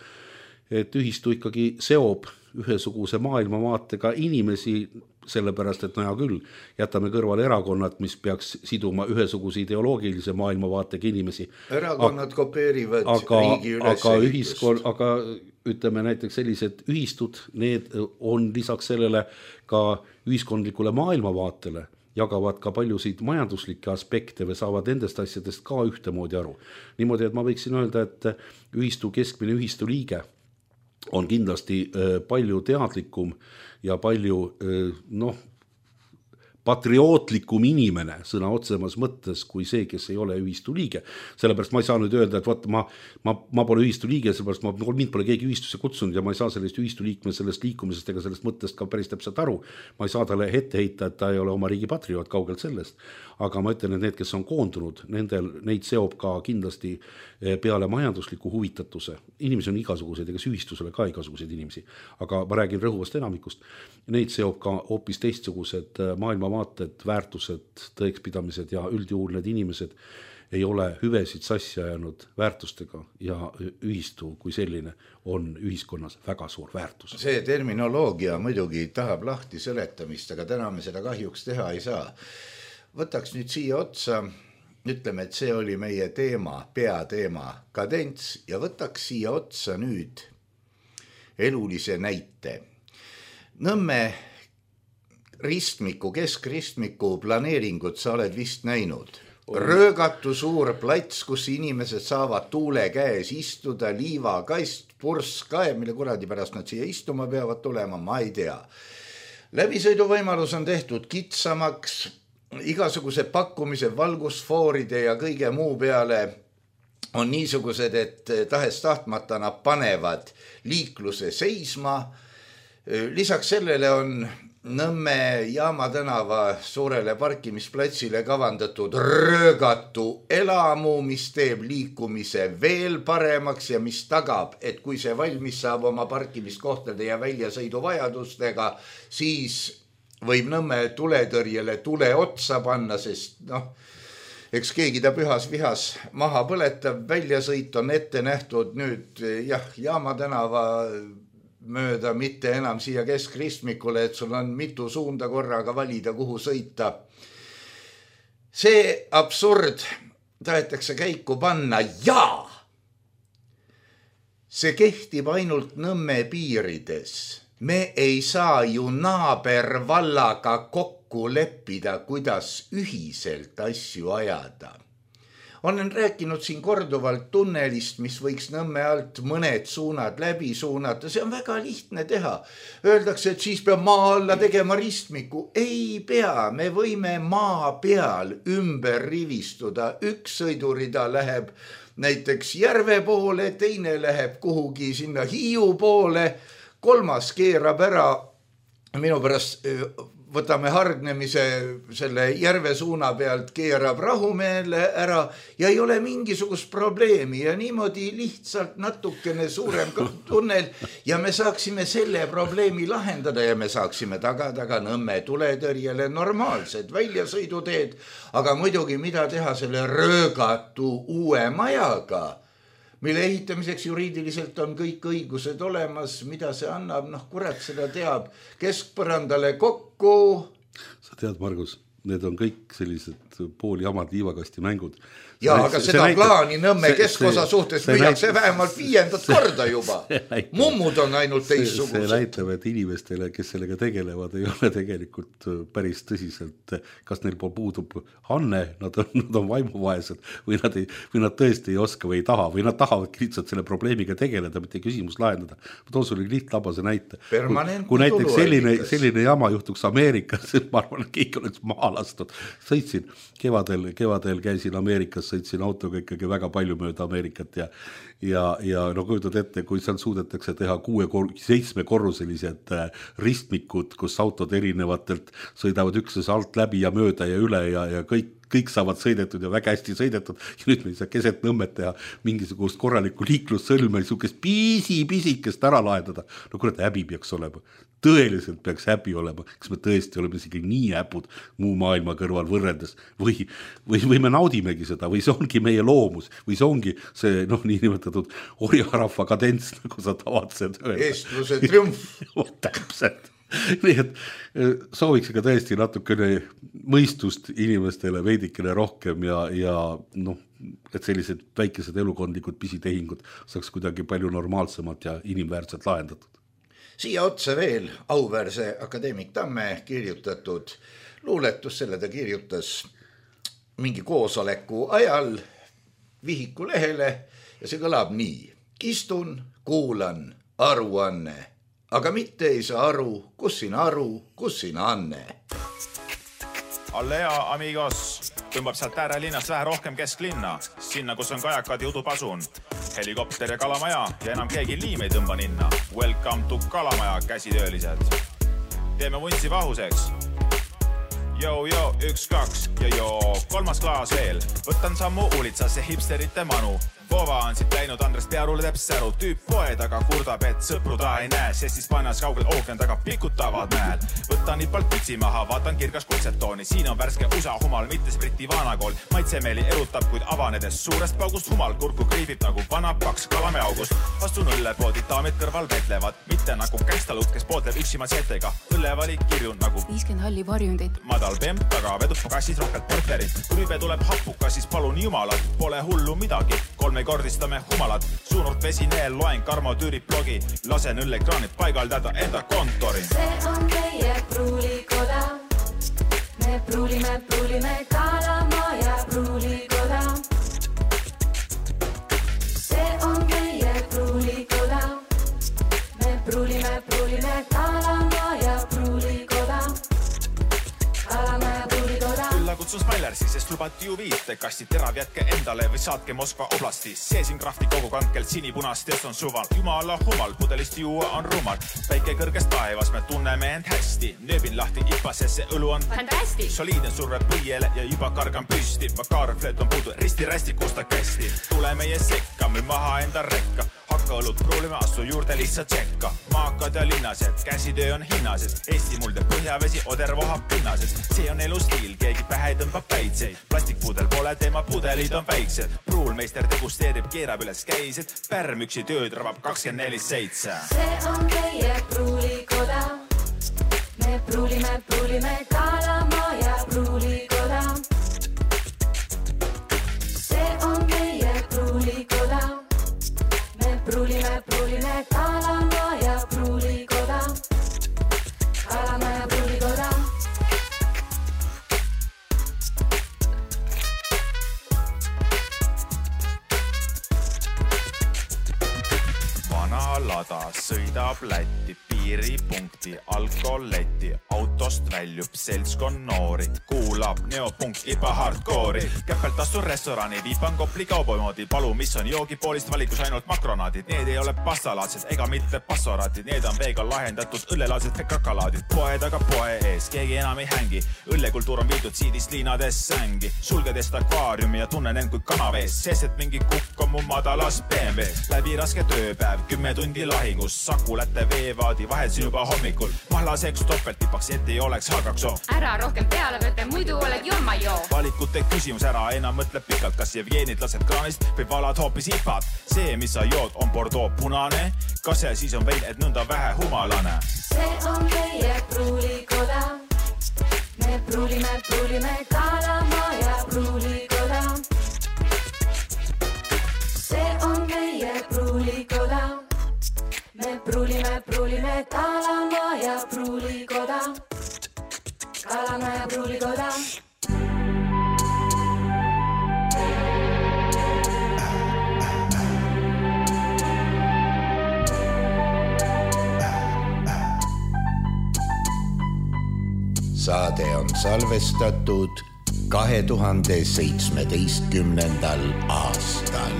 et ühistu ikkagi seob ühesuguse maailmavaatega inimesi, sellepärast, et no hea küll, jätame kõrvale erakonnad, mis peaks siduma ühesuguse ideoloogilise maailmavaatega inimesi. Erakonnad aga, kopeerivad aga, riigi aga, ühiskon, aga ütleme näiteks sellised ühistud, need on lisaks sellele ka ühiskondlikule maailmavaatele, jagavad ka paljusid majanduslikke aspekte või saavad nendest asjadest ka ühtemoodi aru. Niimoodi, et ma võiksin öelda, et ühistu keskmine ühistu liige on kindlasti palju teadlikum ja palju noh, patriootlikum inimene sõna otsemas mõttes kui see, kes ei ole ühistu liige. Sellepärast ma ei saa nüüd öelda, et vaata, ma, ma, ma pole ühistu liige, sellepärast ma, mind pole keegi ühistusse kutsunud ja ma ei saa sellest ühistu liikme sellest liikumisest ega sellest mõttest ka päris täpselt aru. Ma ei saa talle ette heita, et ta ei ole oma riigi patrioot kaugelt sellest. Aga ma ütlen, et need, kes on koondunud, nendel, neid seob ka kindlasti peale majandusliku huvitatuse. Inimesi on igasuguseid, ega ühistusele ka igasuguseid inimesi. Aga ma räägin rõhuvast enamikust. Neid seob ka hoopis teistsugused maailmavaated, väärtused, tõekspidamised ja üldjuhul need inimesed ei ole hüvesid sassi ajanud väärtustega ja ühistu kui selline on ühiskonnas väga suur väärtus. See terminoloogia muidugi tahab lahti seletamist, aga täna me seda kahjuks teha ei saa. Võtaks nüüd siia otsa, ütleme, et see oli meie teema, peateema, kadents ja võtaks siia otsa nüüd elulise näite. Nõmme ristmiku, keskristmiku planeeringut sa oled vist näinud. Röögatu suur plats, kus inimesed saavad tuule käes istuda, liivakast, purskaev, mille kuradi pärast nad siia istuma peavad tulema, ma ei tea. Läbisõiduvõimalus on tehtud kitsamaks, igasuguse pakkumise valgusfooride ja kõige muu peale on niisugused, et tahes tahtmata nad panevad liikluse seisma. Lisaks sellele on Nõmme Jaama tänava suurele parkimisplatsile kavandatud röögatu elamu, mis teeb liikumise veel paremaks ja mis tagab, et kui see valmis saab oma parkimiskohtade ja väljasõidu vajadustega, siis võib Nõmme tuletõrjele tule otsa panna, sest noh, eks keegi ta pühas vihas maha põletab, väljasõit on ette nähtud nüüd jah, Jaama tänava mööda, mitte enam siia keskristmikule, et sul on mitu suunda korraga valida, kuhu sõita. See absurd tahetakse käiku panna ja see kehtib ainult Nõmme piirides. Me ei saa ju naabervallaga kokku leppida, kuidas ühiselt asju ajada. Olen rääkinud siin korduvalt tunnelist, mis võiks Nõmme alt mõned suunad läbi suunata. See on väga lihtne teha. Öeldakse, et siis peab maa alla tegema ristmiku. Ei pea, me võime maa peal ümber rivistuda. Üks sõidurida läheb näiteks Järve poole, teine läheb kuhugi sinna Hiiu poole, kolmas keerab ära, minu pärast võtame hargnemise selle Järve suuna pealt, keerab Rahumäele ära ja ei ole mingisugust probleemi ja niimoodi lihtsalt natukene suurem tunnel ja me saaksime selle probleemi lahendada ja me saaksime tagada ka Nõmme tuletõrjele normaalsed väljasõiduteed, aga muidugi mida teha selle röögatu uue majaga, mille ehitamiseks juriidiliselt on kõik õigused olemas, mida see annab, noh kurat seda teab, keskpõrandale kokku. Sa tead, Margus, need on kõik sellised pooli jamad liivakasti mängud. Ja, aga see, seda see plaani Nõmme keskosa suhtes müüakse vähemalt viiendat korda juba. Mummud on ainult teissugused. See näitab, et inimestele, kes sellega tegelevad, ei ole tegelikult päris tõsiselt, kas neil puudub Hanne, nad on, nad on vaimuvaesed või nad, ei, või nad tõesti ei oska või ei taha või nad tahavad lihtsalt selle probleemiga tegeleda, mitte küsimus lahendada. Ma toon sulle lihttabase näite. Kui, kui näiteks selline, selline jama juhtuks Ameerikas, ma arvan, et keegi oleks maha lastud. Sõitsin kevadel, kevadel käisin Ameerikas, sõitsin autoga ikkagi väga palju mööda Ameerikat ja, ja, ja no kujutad ette, kui seal suudetakse teha kuue, seitsme korruselised ristmikud, kus autod erinevatelt sõidavad ükses alt läbi ja mööda ja üle ja, ja kõik, kõik saavad sõidetud ja väga hästi sõidetud ja nüüd me ei saa keset Nõmmet teha mingisugust korralikku liiklussõlme, niisugust pisi-pisikest ära lahendada. No kurat, häbi peaks olema. Tõeliselt peaks häbi olema, kas me tõesti oleme isegi nii häpud muu maailma kõrval võrrendes või, või, või me naudimegi seda või see ongi meie loomus või see ongi see noh, nii nimetatud orjarahva kadents, nagu sa tavatsed öelda. Eestluse triumf. Täpselt. Nii et sooviks ka tõesti natukene mõistust inimestele veidikene rohkem ja, ja noh, et sellised väikesed elukondlikud pisitehingud saaks kuidagi palju normaalsemalt ja inimväärselt lahendatud. Siia otsa veel auväärse akadeemik Tamme kirjutatud luuletus, selle ta kirjutas mingi koosoleku ajal Vihiku lehele ja see kõlab nii. Istun, kuulan, aruanne, aga mitte ei saa aru, kus siin aru, kus siin anne. Allea, amigos, tõmbab sealt äärelinnas vähe rohkem kesklinna, sinna, kus on kajakad ja udupasun, helikopter ja kalamaja ja enam keegi liim ei tõmba ninna. Welcome to kalamaja, käsitöölised. Teeme vunsi vahuseks. Joo, joo, üks, kaks ja joo, kolmas klaas veel. Võtan sammu uulitsasse hipsterite manu. Vova on siit läinud Andres Pearule teeb säru. Tüüp poe taga kurdab, et sõpru ta ei näe, sest siis pannas kaugel ookean taga pikutavad mäel. Võtan nipalt pütsi maha, vaatan kirgas kutsetooni. Siin on värske usa humal, mitte spriti vanakool. Maitsemeeli erutab, kuid avanedes suurest paugust humal kurku kriibib nagu vana paks kalame august. Astun õllepoodi, daamid kõrval vetlevad, mitte nagu kängstalut, kes pootleb üksima setega. Õllevalik kirjun nagu viiskümmend halli varjundit. Madal pemp taga vedub kassis rohkelt porterit. Kui rübe tuleb happukas, siis palun jumalat, pole hullu midagi. Kolme kordistame humalat, suunurt vesineel, loen Karmo Tüüri blogi, lasen õllekraanid paigaldada enda kontori. See on meie pruulikoda, me pruulime, pruulime Kalamaja ja pruulikoda. See on meie pruulikoda, me pruulime, pruulime Kalamaja ja pruulikoda. Kalamaja ja pruulikoda. Külla kutsun Smilersi, sest lubati ju viite kasti terav jätke endale või saatke Moskva oblasti. Seesin krafti kogu kankelt sinipunast ja on suval. Jumala humal, pudelist juua on rumal. Päike kõrgest taevas, me tunneme end hästi. Nööbin lahti ipa, sest see õlu on Fantasti. Soliidne surve põiele ja juba kargan püsti. Vakaarflööt on puudu, risti-rästi kusta kästi. Tule meie sekka, müü maha enda rekka. Hakka õlut pruulime, astu juurde lihtsalt tsekka. Maakad ja linnased, käsitöö on hinnased. Eesti mulde põhjavesi, oder vohab pinnased. See on elustiil, keegi pähe tõmbab päitseid. Plastikpudel pole teema, pudelid on väiksed. Pruulmeister degusteerib, keerab üles käised. Pärmüksi tööd rabab kakskümmend neli seitse. See on meie pruulikoda, me pruulime, pruulime Kalamaja ja pruulikoda. See on meie pruulikoda, me pruulime, pruulime Kalamaja ja pruulikoda. Kalamaja ja pruulikoda. saada, sõidab Lätti piiripunkti, alkoholetti, autost väljub seltskond noori, kuulab neopunkti hardcore'i, käpelt astun restorani, viipan Kopli kauboimoodi, palu, mis on joogipoolist valikus ainult makronaadid, need ei ole pastalaadsed ega mitte passoraadid, need on veega lahendatud õllelaadsed kakalaadid, poe taga poe ees, keegi enam ei hängi, õllekultuur on viidud siidist liinades sängi, sulgedest akvaariumi ja tunnen end kui kanavees, sest et mingi kukk on mu madalas B M W, läbi raske tööpäev, kümme tundi lahingus, Saku Lätte veevaadi vahelsin juba hommikul, mahlaseks topeltipaks, et ei oleks halgakso. Ära rohkem peale võtta, muidu oled jomma joo. Valikute küsimus ära, enam mõtleb pikalt, kas Jevgenit lased kraanist või valad hoopis ipad. See, mis sa jood, on Bordeaux punane, kas see siis on vein, et nõnda vähe humalane? See on meie pruulikoda, me pruulime, pruulime Kalamaa ja pruulikoda. See on meie pruulikoda, me pruulime, pruulime Kalamaa ja pruulikoda. Kalamaa ja pruulikoda. Saade on salvestatud kahe tuhande seitsmeteistkümnendal aastal.